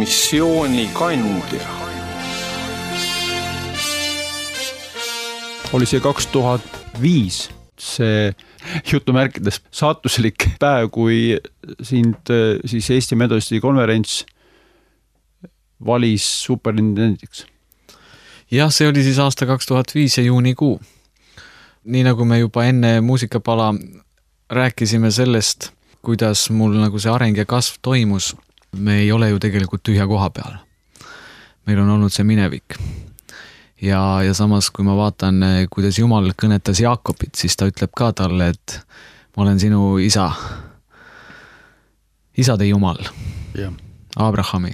S1: missioonikandja.
S2: Oli see kaks tuhat viis see jutumärkides saatuslik päev, kui sind siis Eesti Metodisti konverents valis superintendendiks.
S3: Jah, see oli siis aasta kaks tuhat viis ja juunikuu. Nii nagu me juba enne muusikapala rääkisime sellest, kuidas mul nagu see areng ja kasv toimus, me ei ole ju tegelikult tühja koha peal. Meil on olnud see minevik. Ja, ja samas, kui ma vaatan, kuidas Jumal kõnetas Jaakobit, siis ta ütleb ka talle, et ma olen sinu isa, isade Jumal,
S2: ja.
S3: Abrahami,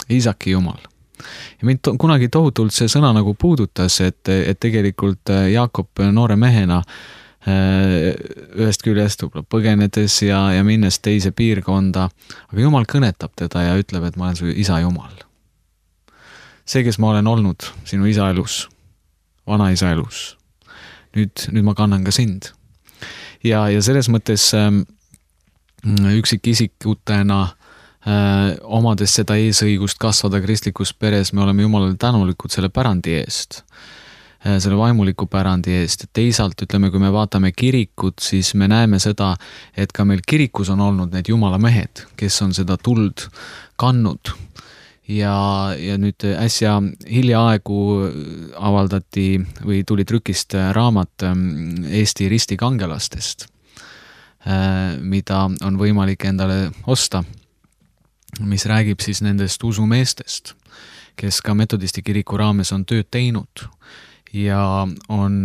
S3: Iisaki Jumal. Ja mind to- kunagi tohutult see sõna nagu puudutas, et, et tegelikult Jaakob noore mehena ühest küljest põgenedes ja, ja minnes teise piirkonda, aga Jumal kõnetab teda ja ütleb, et ma olen su isa Jumal. See, kes ma olen olnud sinu isa elus, vana isa elus. Nüüd, nüüd ma kannan ka sind. Ja, ja selles mõttes äh, üksikisikutena äh, omades seda eesõigust kasvada kristlikus peres, me oleme Jumalale tänulikud selle pärandi eest, äh, selle vaimuliku pärandi eest. Teisalt, ütleme, kui me vaatame kirikut, siis me näeme seda, et ka meil kirikus on olnud need Jumala mehed, kes on seda tuld kannud. Ja, ja nüüd äsja hiljaaegu avaldati või tuli trükist raamat Eesti ristikangelastest, mida on võimalik endale osta, mis räägib siis nendest usumeestest, kes ka metodisti kiriku raames on tööd teinud ja on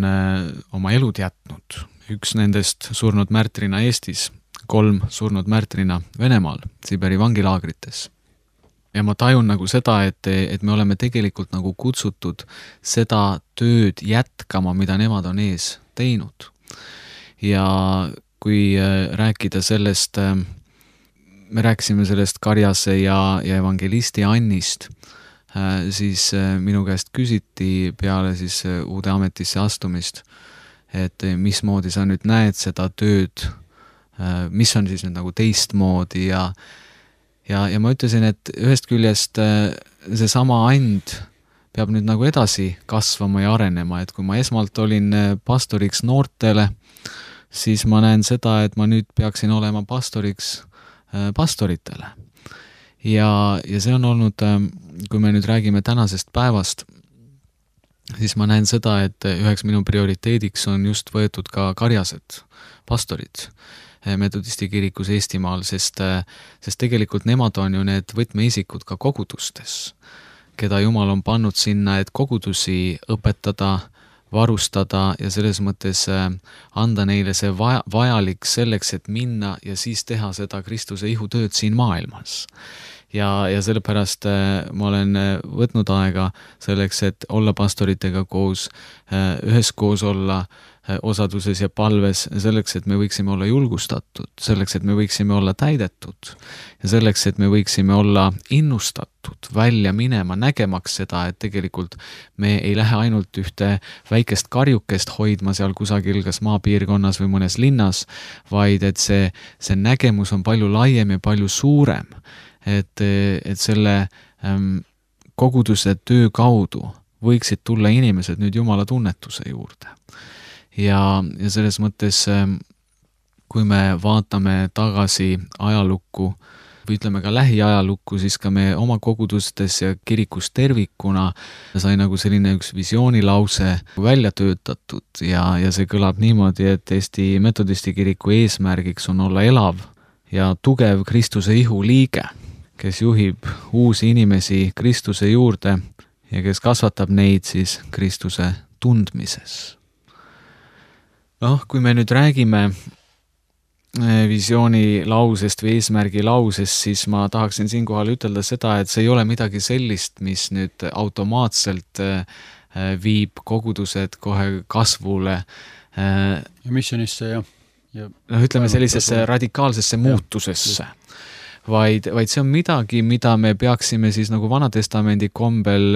S3: oma elud jätnud. Üks nendest surnud märtrina Eestis, kolm surnud märtrina Venemaal, Siberi vangilaagrites. Ja ma tajun nagu seda, et, et me oleme tegelikult nagu kutsutud seda tööd jätkama, mida nemad on ees teinud. Ja kui rääkida sellest, me rääkisime sellest Karjase ja, ja evangelisti Annist, siis minu käest küsiti peale siis uude ametisse astumist, et mismoodi sa nüüd näed seda tööd, mis on siis nüüd nagu teistmoodi ja Ja, ja ma ütlesin, et ühest küljest see sama and peab nüüd nagu edasi kasvama ja arenema, et kui ma esmalt olin pastoriks noortele, siis ma näen seda, et ma nüüd peaksin olema pastoriks pastoritele. Ja, ja see on olnud, kui me nüüd räägime tänasest päevast, siis ma näen seda, et üheks minu prioriteediks on just võetud ka Karjased, pastorid, metodisti kirikus Eestimaal, sest, sest tegelikult nemad on ju need võtmeisikud ka kogudustes, keda Jumal on pannud sinna, et kogudusi õpetada, varustada ja selles mõttes anda neile see vaja, vajalik selleks, et minna ja siis teha seda Kristuse ihutööd siin maailmas. Ja, ja sellepärast ma olen võtnud aega selleks, et olla pastoritega koos, üheskoos olla osaduses ja palves, selleks, et me võiksime olla julgustatud, selleks, et me võiksime olla täidetud ja selleks, et me võiksime olla innustatud välja minema, nägemaks seda, et tegelikult me ei lähe ainult ühte väikest karjukest hoidma seal kusagil kas maapiirkonnas või mõnes linnas, vaid et see, see nägemus on palju laiem ja palju suurem, et, et selle ähm, koguduse töö kaudu võiksid tulla inimesed nüüd Jumala tunnetuse juurde. Ja, ja selles mõttes, kui me vaatame tagasi ajalukku või ütleme ka lähiajalukku, siis ka me oma kogudustes ja kirikus tervikuna sai nagu selline üks visioonilause välja töötatud ja, ja see kõlab niimoodi, et Eesti metodisti kiriku eesmärgiks on olla elav ja tugev Kristuse ihu liige, kes juhib uusi inimesi Kristuse juurde ja kes kasvatab neid siis Kristuse tundmises. Noh, kui me nüüd räägime visiooni lausest või eesmärgi lausest, siis ma tahaksin siinkohal ütelda seda, et see ei ole midagi sellist, mis nüüd automaatselt viib kogudused kohe kasvule.
S2: Ja missionisse ja, ja
S3: no, ütleme sellisesse radikaalsesse muutusesse. Vaid, vaid see on midagi, mida me peaksime siis nagu Vanatestamendi kombel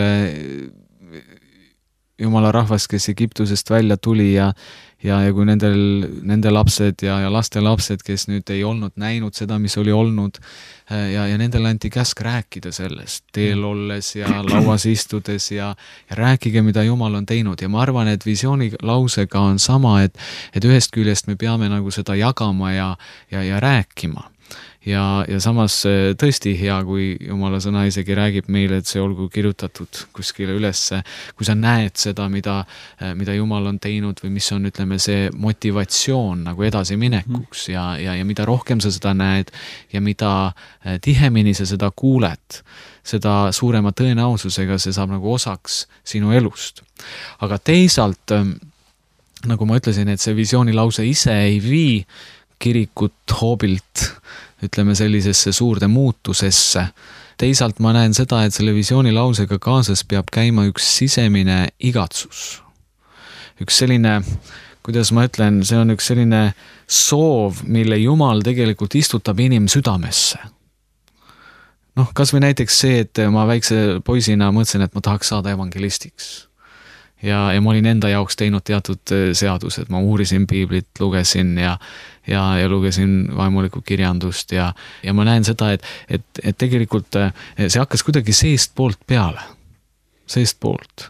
S3: Jumala rahvas, kes Egiptusest välja tuli ja ja, ja kui nendel, nende lapsed ja, ja laste lapsed, kes nüüd ei olnud näinud seda, mis oli olnud ja, ja nendele anti käsk rääkida sellest teel olles ja lauas istudes ja, ja rääkige, mida Jumal on teinud ja ma arvan, et visiooni lausega on sama, et, et ühest küljest me peame nagu seda jagama ja, ja, ja rääkima. Ja, ja samas tõesti hea, kui Jumala sõna isegi räägib meile, et see olgu kirjutatud kuskile ülesse, kui sa näed seda, mida, mida Jumal on teinud või mis on, ütleme, see motivatsioon nagu edasi minekuks ja, ja, ja mida rohkem sa seda näed ja mida tihemini sa seda kuuled, seda suurema tõenäosusega see saab nagu osaks sinu elust. Aga teisalt, nagu ma ütlesin, et see visiooni lause ise ei vii kirikut hoobilt ütleme sellisesse suurde muutusesse. Teisalt ma näen seda, et selle visiooni lausega kaasas peab käima üks sisemine igatsus. Üks selline, kuidas ma ütlen, see on üks selline soov, mille Jumal tegelikult istutab inim südamesse. Noh, kas või näiteks see, et ma väikse poisina mõtlesin, et ma tahaks saada evangelistiks. Ja, ja ma olin enda jaoks teinud teatud seadused, ma uurisin piiblit, lugesin ja, ja, ja lugesin vaimulikku kirjandust ja, ja ma näen seda, et, et, et tegelikult see hakkas kuidagi seest poolt peale, seest poolt.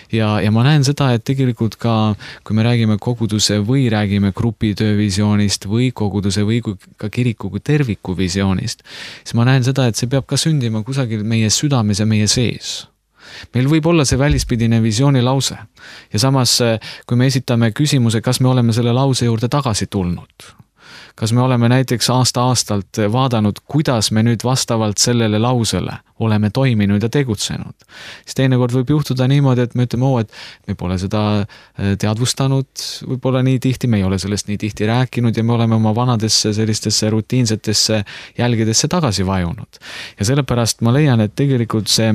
S3: Ja, ja ma näen seda, et tegelikult ka, kui me räägime koguduse või räägime grupitöö visioonist või koguduse või ka kiriku kui terviku visioonist, siis ma näen seda, et see peab ka sündima kusagil meie südames ja meie sees. Meil võib olla see välispidine visiooni lause ja samas, kui me esitame küsimuse, kas me oleme selle lause juurde tagasi tulnud, kas me oleme näiteks aasta-aastalt vaadanud, kuidas me nüüd vastavalt sellele lausele oleme toiminud ja tegutsenud, siis teinekord võib juhtuda niimoodi, et me ütleme, oo, et me pole seda teadvustanud, võib-olla nii tihti, me ei ole sellest nii tihti rääkinud ja me oleme oma vanadesse sellistesse rutiinsetesse jälgedesse tagasi vajunud. Ja sellepärast ma leian, et tegelikult see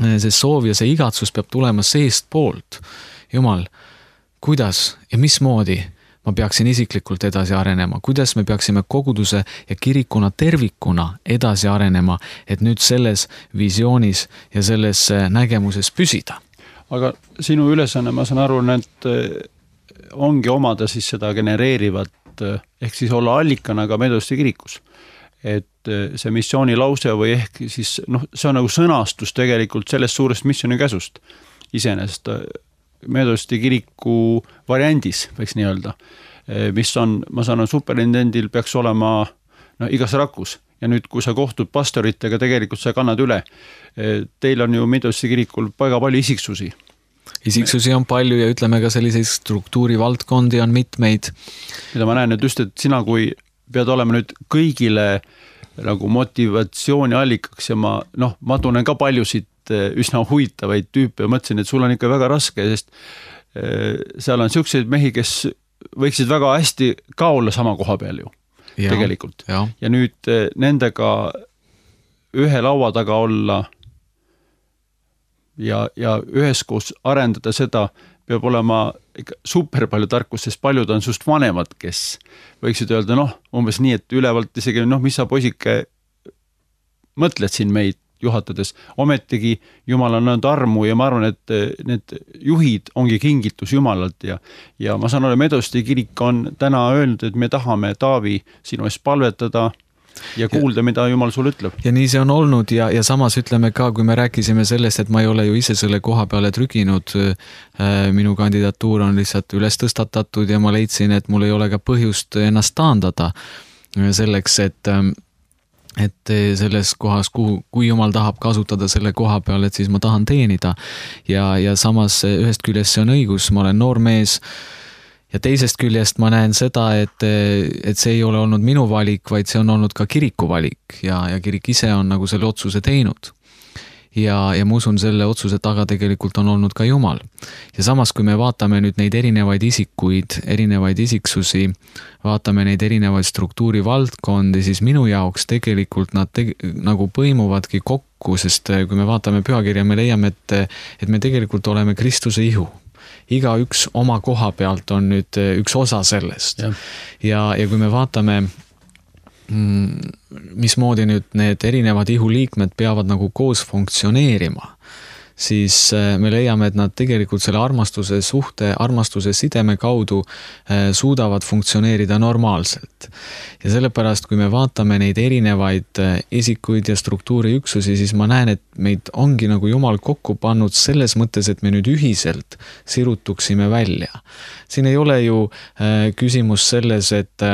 S3: see soov ja see igatsus peab tulema seest poolt. Jumal, kuidas ja mismoodi ma peaksin isiklikult edasi arenema, kuidas me peaksime koguduse ja kirikuna tervikuna edasi arenema, et nüüd selles visioonis ja selles nägemuses püsida.
S2: Aga sinu ülesanne, ma saan aru, et ongi omada siis seda genereerivat, ehk siis olla allikana ka Meedosti kirikus. Et see missiooni lause või ehk siis, noh, see on nagu sõnastus tegelikult sellest suurest missiooni käsust iseenesest Meedosti kiriku variandis, võiks nii öelda, mis on, ma saan, superintendil peaks olema no, igas rakus ja nüüd, kui sa kohtud pastoritega, tegelikult sa kannad üle. Teil on ju Meedosti kirikul väga palju isiksusi.
S3: Isiksusi on palju ja ütleme ka selliseid struktuurivaldkondi on mitmeid.
S2: Mida ma näen, et just, et sina kui pead olema nüüd kõigile nagu motivatsiooni allikaks ja ma, noh, ma tunnen ka paljusid üsna huvitavaid tüüpe ja mõtlesin, et sul on ikka väga raske, sest seal on selliseid mehi, kes võiksid väga hästi ka olla sama koha peal ju, ja, tegelikult. Ja. ja nüüd nendega ühe laua taga olla ja, ja üheskoos arendada seda, peab olema super palju tarkus, sest paljud on sust vanemad, kes võiksid öelda, noh, umbes nii, et ülevalt isegi, noh, mis sa poisike mõtled siin meid juhatades. Ometigi Jumal on nõnd armu ja ma arvan, et need juhid ongi kingitus Jumalalt ja, ja ma saan olla, Meedosti kirik on täna öelnud, et me tahame, Taavi, sinu eest palvetada ja kuulda, mida Jumal sul ütleb.
S3: Ja nii see on olnud ja, ja samas ütleme ka, kui me rääkisime sellest, et ma ei ole ju ise selle koha peale trüginud, minu kandidatuur on lihtsalt üles tõstatatud ja ma leidsin, et mul ei ole ka põhjust ennast taandada selleks, et, et selles kohas, kuhu, kui Jumal tahab kasutada selle koha peal, et siis ma tahan teenida ja, ja samas ühest küljest see on õigus, ma olen noor mees. Ja teisest küljest ma näen seda, et, et see ei ole olnud minu valik, vaid see on olnud ka kiriku valik ja, ja kirik ise on nagu selle otsuse teinud. Ja, ja ma usun, selle otsuse taga tegelikult on olnud ka Jumal. Ja samas, kui me vaatame nüüd neid erinevaid isikuid, erinevaid isiksusi, vaatame neid erinevaid struktuurivaldkondi, siis minu jaoks tegelikult nad te, nagu põimuvadki kokku, sest kui me vaatame pühakirja, me leiame, et, et me tegelikult oleme Kristuse ihu. Iga üks oma koha pealt on nüüd üks osa sellest. Ja, ja, ja kui me vaatame, mismoodi nüüd need erinevad ihuliikmed peavad nagu koos funktsioneerima, siis me leiame, et nad tegelikult selle armastuse suhte, armastuse sideme kaudu suudavad funktsioneerida normaalselt. Ja sellepärast, kui me vaatame neid erinevaid isikuid ja struktuuriüksusi, siis ma näen, et meid ongi nagu Jumal kokku pannud selles mõttes, et me nüüd ühiselt sirutuksime välja. Siin ei ole ju küsimus selles, et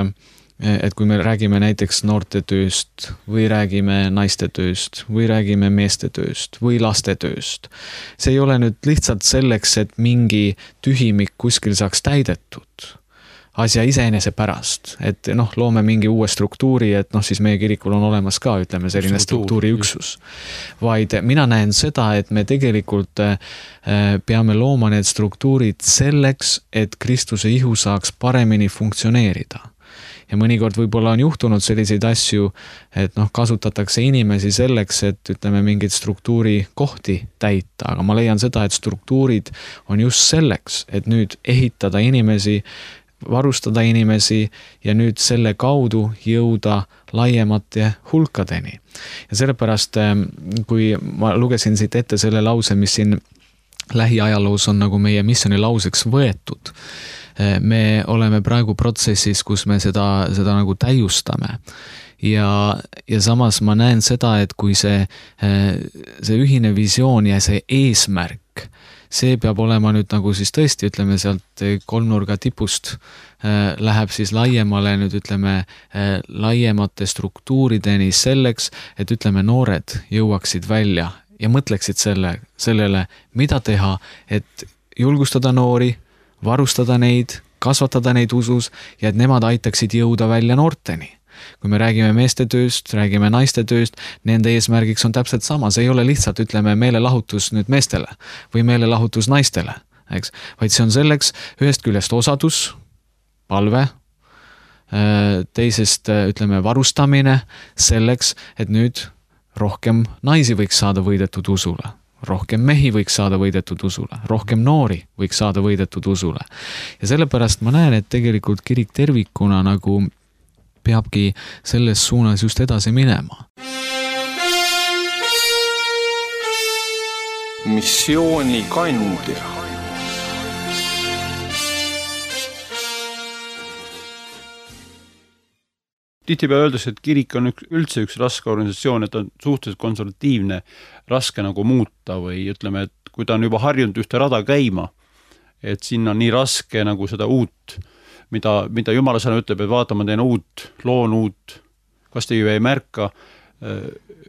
S3: et kui me räägime näiteks noorte tööst või räägime naiste tööst või räägime meeste tööst või laste tööst. See ei ole nüüd lihtsalt selleks, et mingi tühimik kuskil saaks täidetud asja iseenese pärast, et noh, loome mingi uue struktuuri, et noh, siis meie kirikul on olemas ka, ütleme, selline struktuuriüksus. Vaid mina näen seda, et me tegelikult peame looma need struktuurid selleks, et Kristuse ihu saaks paremini funktsioneerida. Ja mõnikord võib-olla on juhtunud selliseid asju, et noh, kasutatakse inimesi selleks, et ütleme mingid struktuuri kohti täita, aga ma leian seda, et struktuurid on just selleks, et nüüd ehitada inimesi, varustada inimesi ja nüüd selle kaudu jõuda laiemate hulkadeni. Ja sellepärast, kui ma lugesin siit ette selle lause, mis siin lähiajaloos on nagu meie missiooni lauseks võetud, me oleme praegu protsessis, kus me seda, seda nagu täiustame. Ja, ja samas ma näen seda, et kui see, see ühine visioon ja see eesmärk, see peab olema nüüd nagu siis tõesti, ütleme sealt kolmnurga tipust läheb siis laiemale, nüüd ütleme laiemate struktuurideni selleks, et ütleme noored jõuaksid välja ja mõtleksid selle, sellele, mida teha, et julgustada noori, varustada neid, kasvatada neid usus ja et nemad aitaksid jõuda välja noorteni. Kui me räägime meeste tööst, räägime naiste tööst, nende eesmärgiks on täpselt sama. See ei ole lihtsalt, ütleme, meelelahutus nüüd meestele või meelelahutus naistele, eks? Vaid see on selleks ühest küljest osadus, palve, teisest, ütleme, varustamine selleks, et nüüd rohkem naisi võiks saada võidetud usule. Rohkem mehi võiks saada võidetud usule, rohkem noori võiks saada võidetud usule. Ja sellepärast ma näen, et tegelikult kirik tervikuna nagu peabki selles suunas just edasi minema.
S1: Missiooni kandja.
S2: Tihtipeale öeldakse, et kirik on üks, üldse üks raske organisatsioon, et on suhteliselt konservatiivne, raske nagu muuta või ütleme, et kui ta on juba harjunud ühte rada käima, et sinna on nii raske nagu seda uut, mida, mida Jumala sõna ütleb, et vaata, ma teen uut, loon uut, kas te ju ei märka,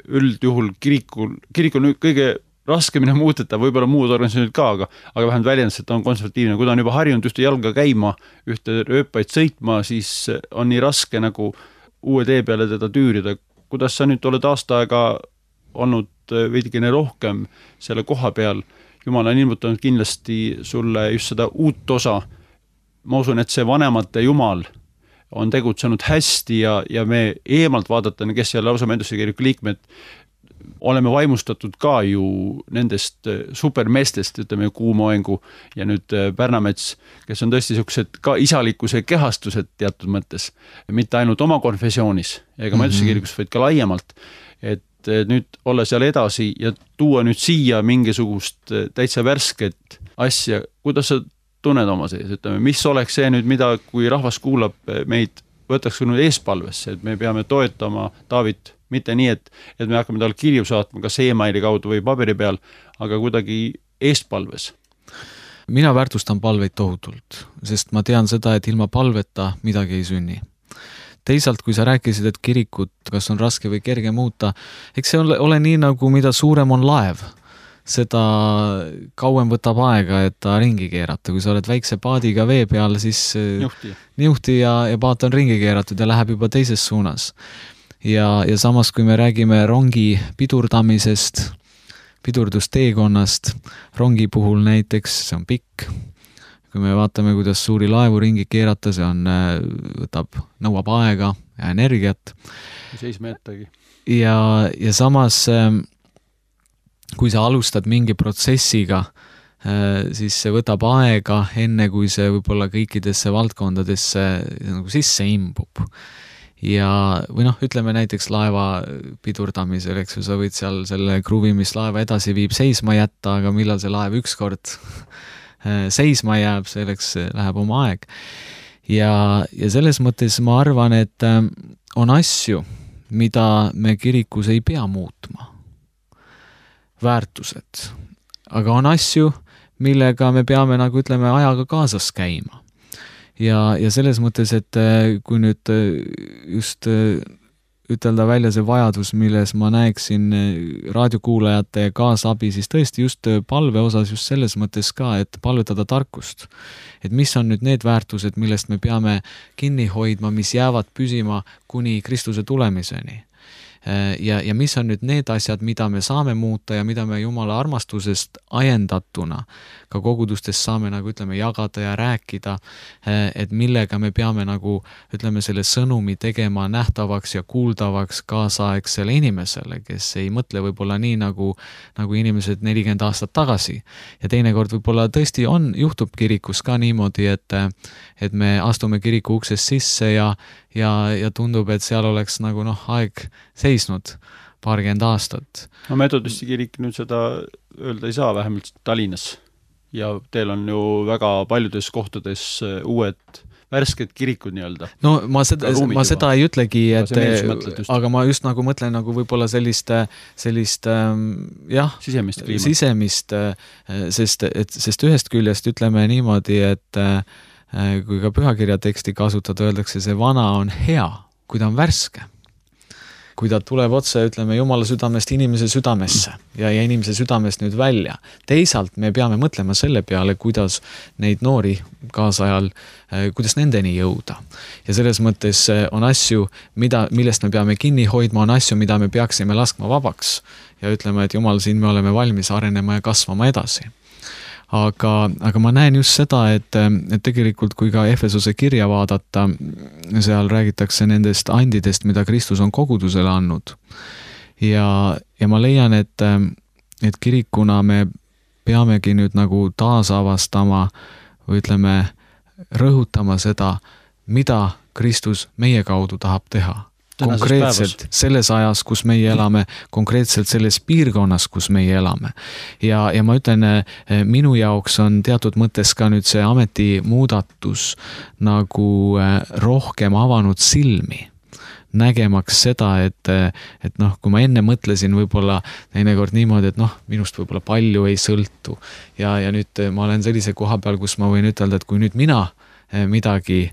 S2: üldjuhul kirikul, kirik on kõige raskemini muuteta, võib-olla muud organisatsioonid ka, aga, aga vähemalt väljendus, et ta on konservatiivne. Kui ta on juba harjunud ühte jalga käima, ühte rööpaid sõitma, siis on nii raske nagu uue tee peale teda tüürida. Kuidas sa nüüd oled aasta aega olnud veidikene rohkem selle koha peal? Jumal on ilmutanud kindlasti sulle just seda uut osa. Ma usun, et see vanemate Jumal on tegutsenud hästi ja, ja me eemalt vaadatan, kes seal lausa mendusse kiriku liikmed, oleme vaimustatud ka ju nendest supermeestest, ütleme Kuumoengu ja nüüd Pärnamets, kes on tõesti sellised ka isalikkuse kehastused teatud mõttes, mitte ainult oma konfessioonis ega mm-hmm. mendusse kirikus, vaid ka laiemalt. Et nüüd olla seal edasi ja tuua nüüd siia mingisugust täitsa värsket asja, kuidas sa tunned oma sees, ütleme, mis oleks see nüüd, mida kui rahvas kuulab meid, võtaks nüüd eespalvesse, et me peame toetama Taavit mitte nii, et, et me hakkame tal kirju saatma kas e-maili kaudu või paberi peal, aga kuidagi eestpalves.
S3: Mina väärtustan palveid tohutult, sest ma tean seda, et ilma palveta midagi ei sünni. Teisalt, kui sa rääkisid, et kirikut, kas on raske või kerge muuta, eks see ole, ole nii, nagu mida suurem on laev, seda kauem võtab aega, et ta ringi keerata. Kui sa oled väikse paadiga vee peal, siis
S2: niuhti,
S3: niuhti ja, ja paat on ringi keeratud ja läheb juba teises suunas. Ja, ja samas, kui me räägime rongi pidurdamisest, pidurdusteekonnast, rongi puhul näiteks, see on pikk. Kui me vaatame, kuidas suuri laevu ringi keerata, see on, võtab, nõuab aega ja energiat.
S2: Seisma jättagi.
S3: Ja, ja samas, kui sa alustad mingi protsessiga, siis see võtab aega enne, kui see võib-olla kõikidesse valdkondadesse nagu sisse imbub. ja, või noh, ütleme näiteks laeva pidurdamisel, eks ju, sa võid seal selle kruvi, mis laeva edasi viib, seisma jätta, aga millal see laev ükskord seisma jääb, selleks läheb oma aeg. Ja, ja selles mõttes ma arvan, et on asju, mida me kirikus ei pea muutma. Väärtused. Aga on asju, millega me peame, nagu ütleme, ajaga kaasas käima. Ja, ja selles mõttes, et kui nüüd just ütelda välja see vajadus, milles ma näeksin raadiokuulajate kaasabi, siis tõesti just palve osas just selles mõttes ka, et palvetada tarkust. Et mis on nüüd need väärtused, millest me peame kinni hoidma, mis jäävad püsima kuni Kristuse tulemiseni. Ja, ja mis on nüüd need asjad, mida me saame muuta ja mida me Jumala armastusest ajendatuna ka kogudustes saame, nagu ütleme, jagada ja rääkida, et millega me peame nagu, ütleme, selle sõnumi tegema nähtavaks ja kuuldavaks kaasaegsele inimesele, kes ei mõtle võib-olla nii nagu, nagu inimesed nelikümmend aastat tagasi. Ja teinekord võib-olla tõesti on, juhtub kirikus ka niimoodi, et, et me astume kiriku uksest sisse ja, ja, ja tundub, et seal oleks nagu noh, aeg seisnud paarkümmend aastat.
S2: No metodisti kirik nüüd seda öelda ei saa, vähemalt Tallinnas. Ja teil on ju väga paljudes kohtades uued värsked kirikud nii-öelda.
S3: No ma seda, ma seda ei ütlegi, et, aga ma just nagu mõtlen nagu võib-olla sellist, sellist jah,
S2: sisemist kliimat.
S3: Sisemist, sest, et, sest ühest küljest ütleme niimoodi, et kui ka pühakirja teksti kasutada, öeldakse, see vana on hea, kui ta on värske. Kui ta tuleb otse, ütleme, Jumala südamest inimese südamesse ja, ja inimese südamest nüüd välja. Teisalt me peame mõtlema selle peale, kuidas neid noori kaasajal, kuidas nendeni jõuda. Ja selles mõttes on asju, mida, millest me peame kinni hoidma, on asju, mida me peaksime laskma vabaks ja ütleme, et Jumal, siin me oleme valmis arenema ja kasvama edasi. Aga, aga ma näen just seda, et, et tegelikult kui ka Efesose kirja vaadata, seal räägitakse nendest andidest, mida Kristus on kogudusele andnud. Ja, ja ma leian, et, et kirikuna me peamegi nüüd nagu taasavastama või ütleme, rõhutama seda, mida Kristus meie kaudu tahab teha. Konkreetselt selles ajas, kus meie elame, konkreetselt selles piirkonnas, kus meie elame. Ja, ja ma ütlen, minu jaoks on teatud mõttes ka nüüd see ametimuudatus nagu rohkem avanud silmi, nägemaks seda, et, et noh, kui ma enne mõtlesin võib-olla teinekord niimoodi, et noh, minust võib-olla palju ei sõltu. Ja, ja nüüd ma olen sellise koha peal, kus ma võin ütelda, et kui nüüd mina midagi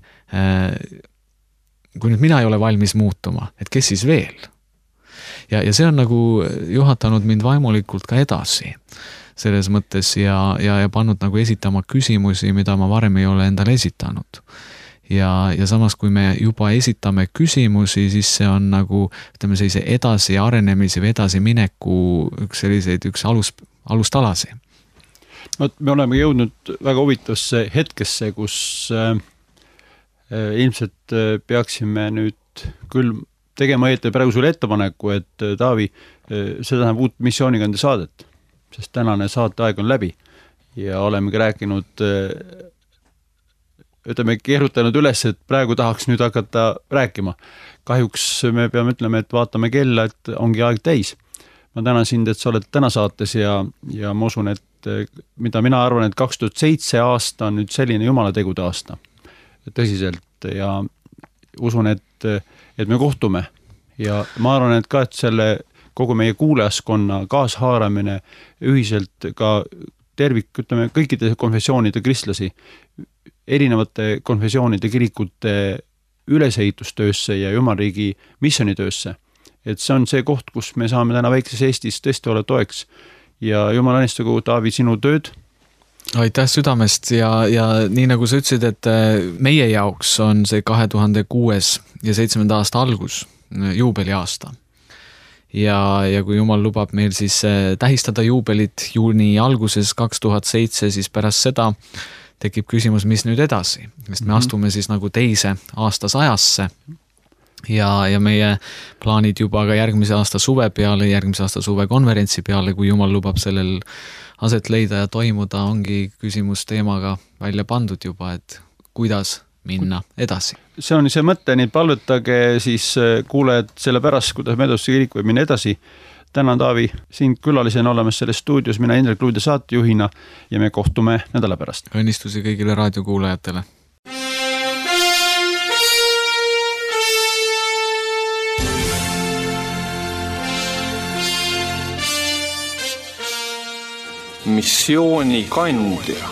S3: kui nüüd mina ei ole valmis muutuma, et kes siis veel? Ja, ja see on nagu juhatanud mind vaimulikult ka edasi selles mõttes ja, ja, ja pannud nagu esitama küsimusi, mida ma varem ei ole endale esitanud. Ja, ja samas, kui me juba esitame küsimusi, siis see on nagu, ütleme, sellise edasi arenemisi või edasi mineku üks selliseid, üks alus, alustalasi.
S2: No, me oleme jõudnud väga huvitavasse hetkesse, kus äh, ilmselt peaksime nüüd küll tegema ette praegu sulle ettepaneku, et Taavi, seda tähendab uut missioonikande saadet, sest tänane saateaeg on läbi ja olemegi rääkinud, ütleme, keerutanud üles, et praegu tahaks nüüd hakata rääkima. Kahjuks me peame ütlema, et vaatame kella, et ongi aeg täis. Ma tänan sind, et sa oled täna saates ja, ja ma usun, et mida mina arvan, et kaks tuhat seitse aasta on nüüd selline Jumala tegude aasta. Tõsiselt ja usun, et, et me kohtume ja ma arvan, et ka, et selle kogu meie kuulajaskonna kaashaaramine ühiselt ka tervik, ütleme, kõikide konfessioonide kristlasi, erinevate konfessioonide kirikute ülesehitustöösse ja Jumalriigi missionitöösse. Et see on see koht, kus me saame täna väikses Eestis tõesti olla toeks ja Jumal õnnistagu, Taavi, sinu tööd.
S3: Aitäh südamest ja, ja nii nagu sa ütlesid, et meie jaoks on see kahe tuhande kuues ja seitsmenda aasta algus, juubeliaasta. Ja, ja kui Jumal lubab meil siis tähistada juubelit juuni alguses kaks tuhat seitse, siis pärast seda tekib küsimus, mis nüüd edasi, sest me astume siis nagu teise aastas ajasse. Ja, ja meie plaanid juba ka järgmise aasta suve peale, järgmise aasta suve konverentsi peale, kui Jumal lubab sellel aset leida ja toimuda, ongi küsimus teemaga välja pandud juba, et kuidas minna edasi.
S2: see on see mõte, nii palvetage siis kuulajad selle pärast, kuidas Meedosse kirik võib minna edasi. Tänan, Taavi, sind külalisena olemas selles stuudios, mina Indrek Luude saatejuhina ja me kohtume nädala pärast.
S3: Õnnistusi kõigile raadiokuulajatele.
S1: Missiooni kandja.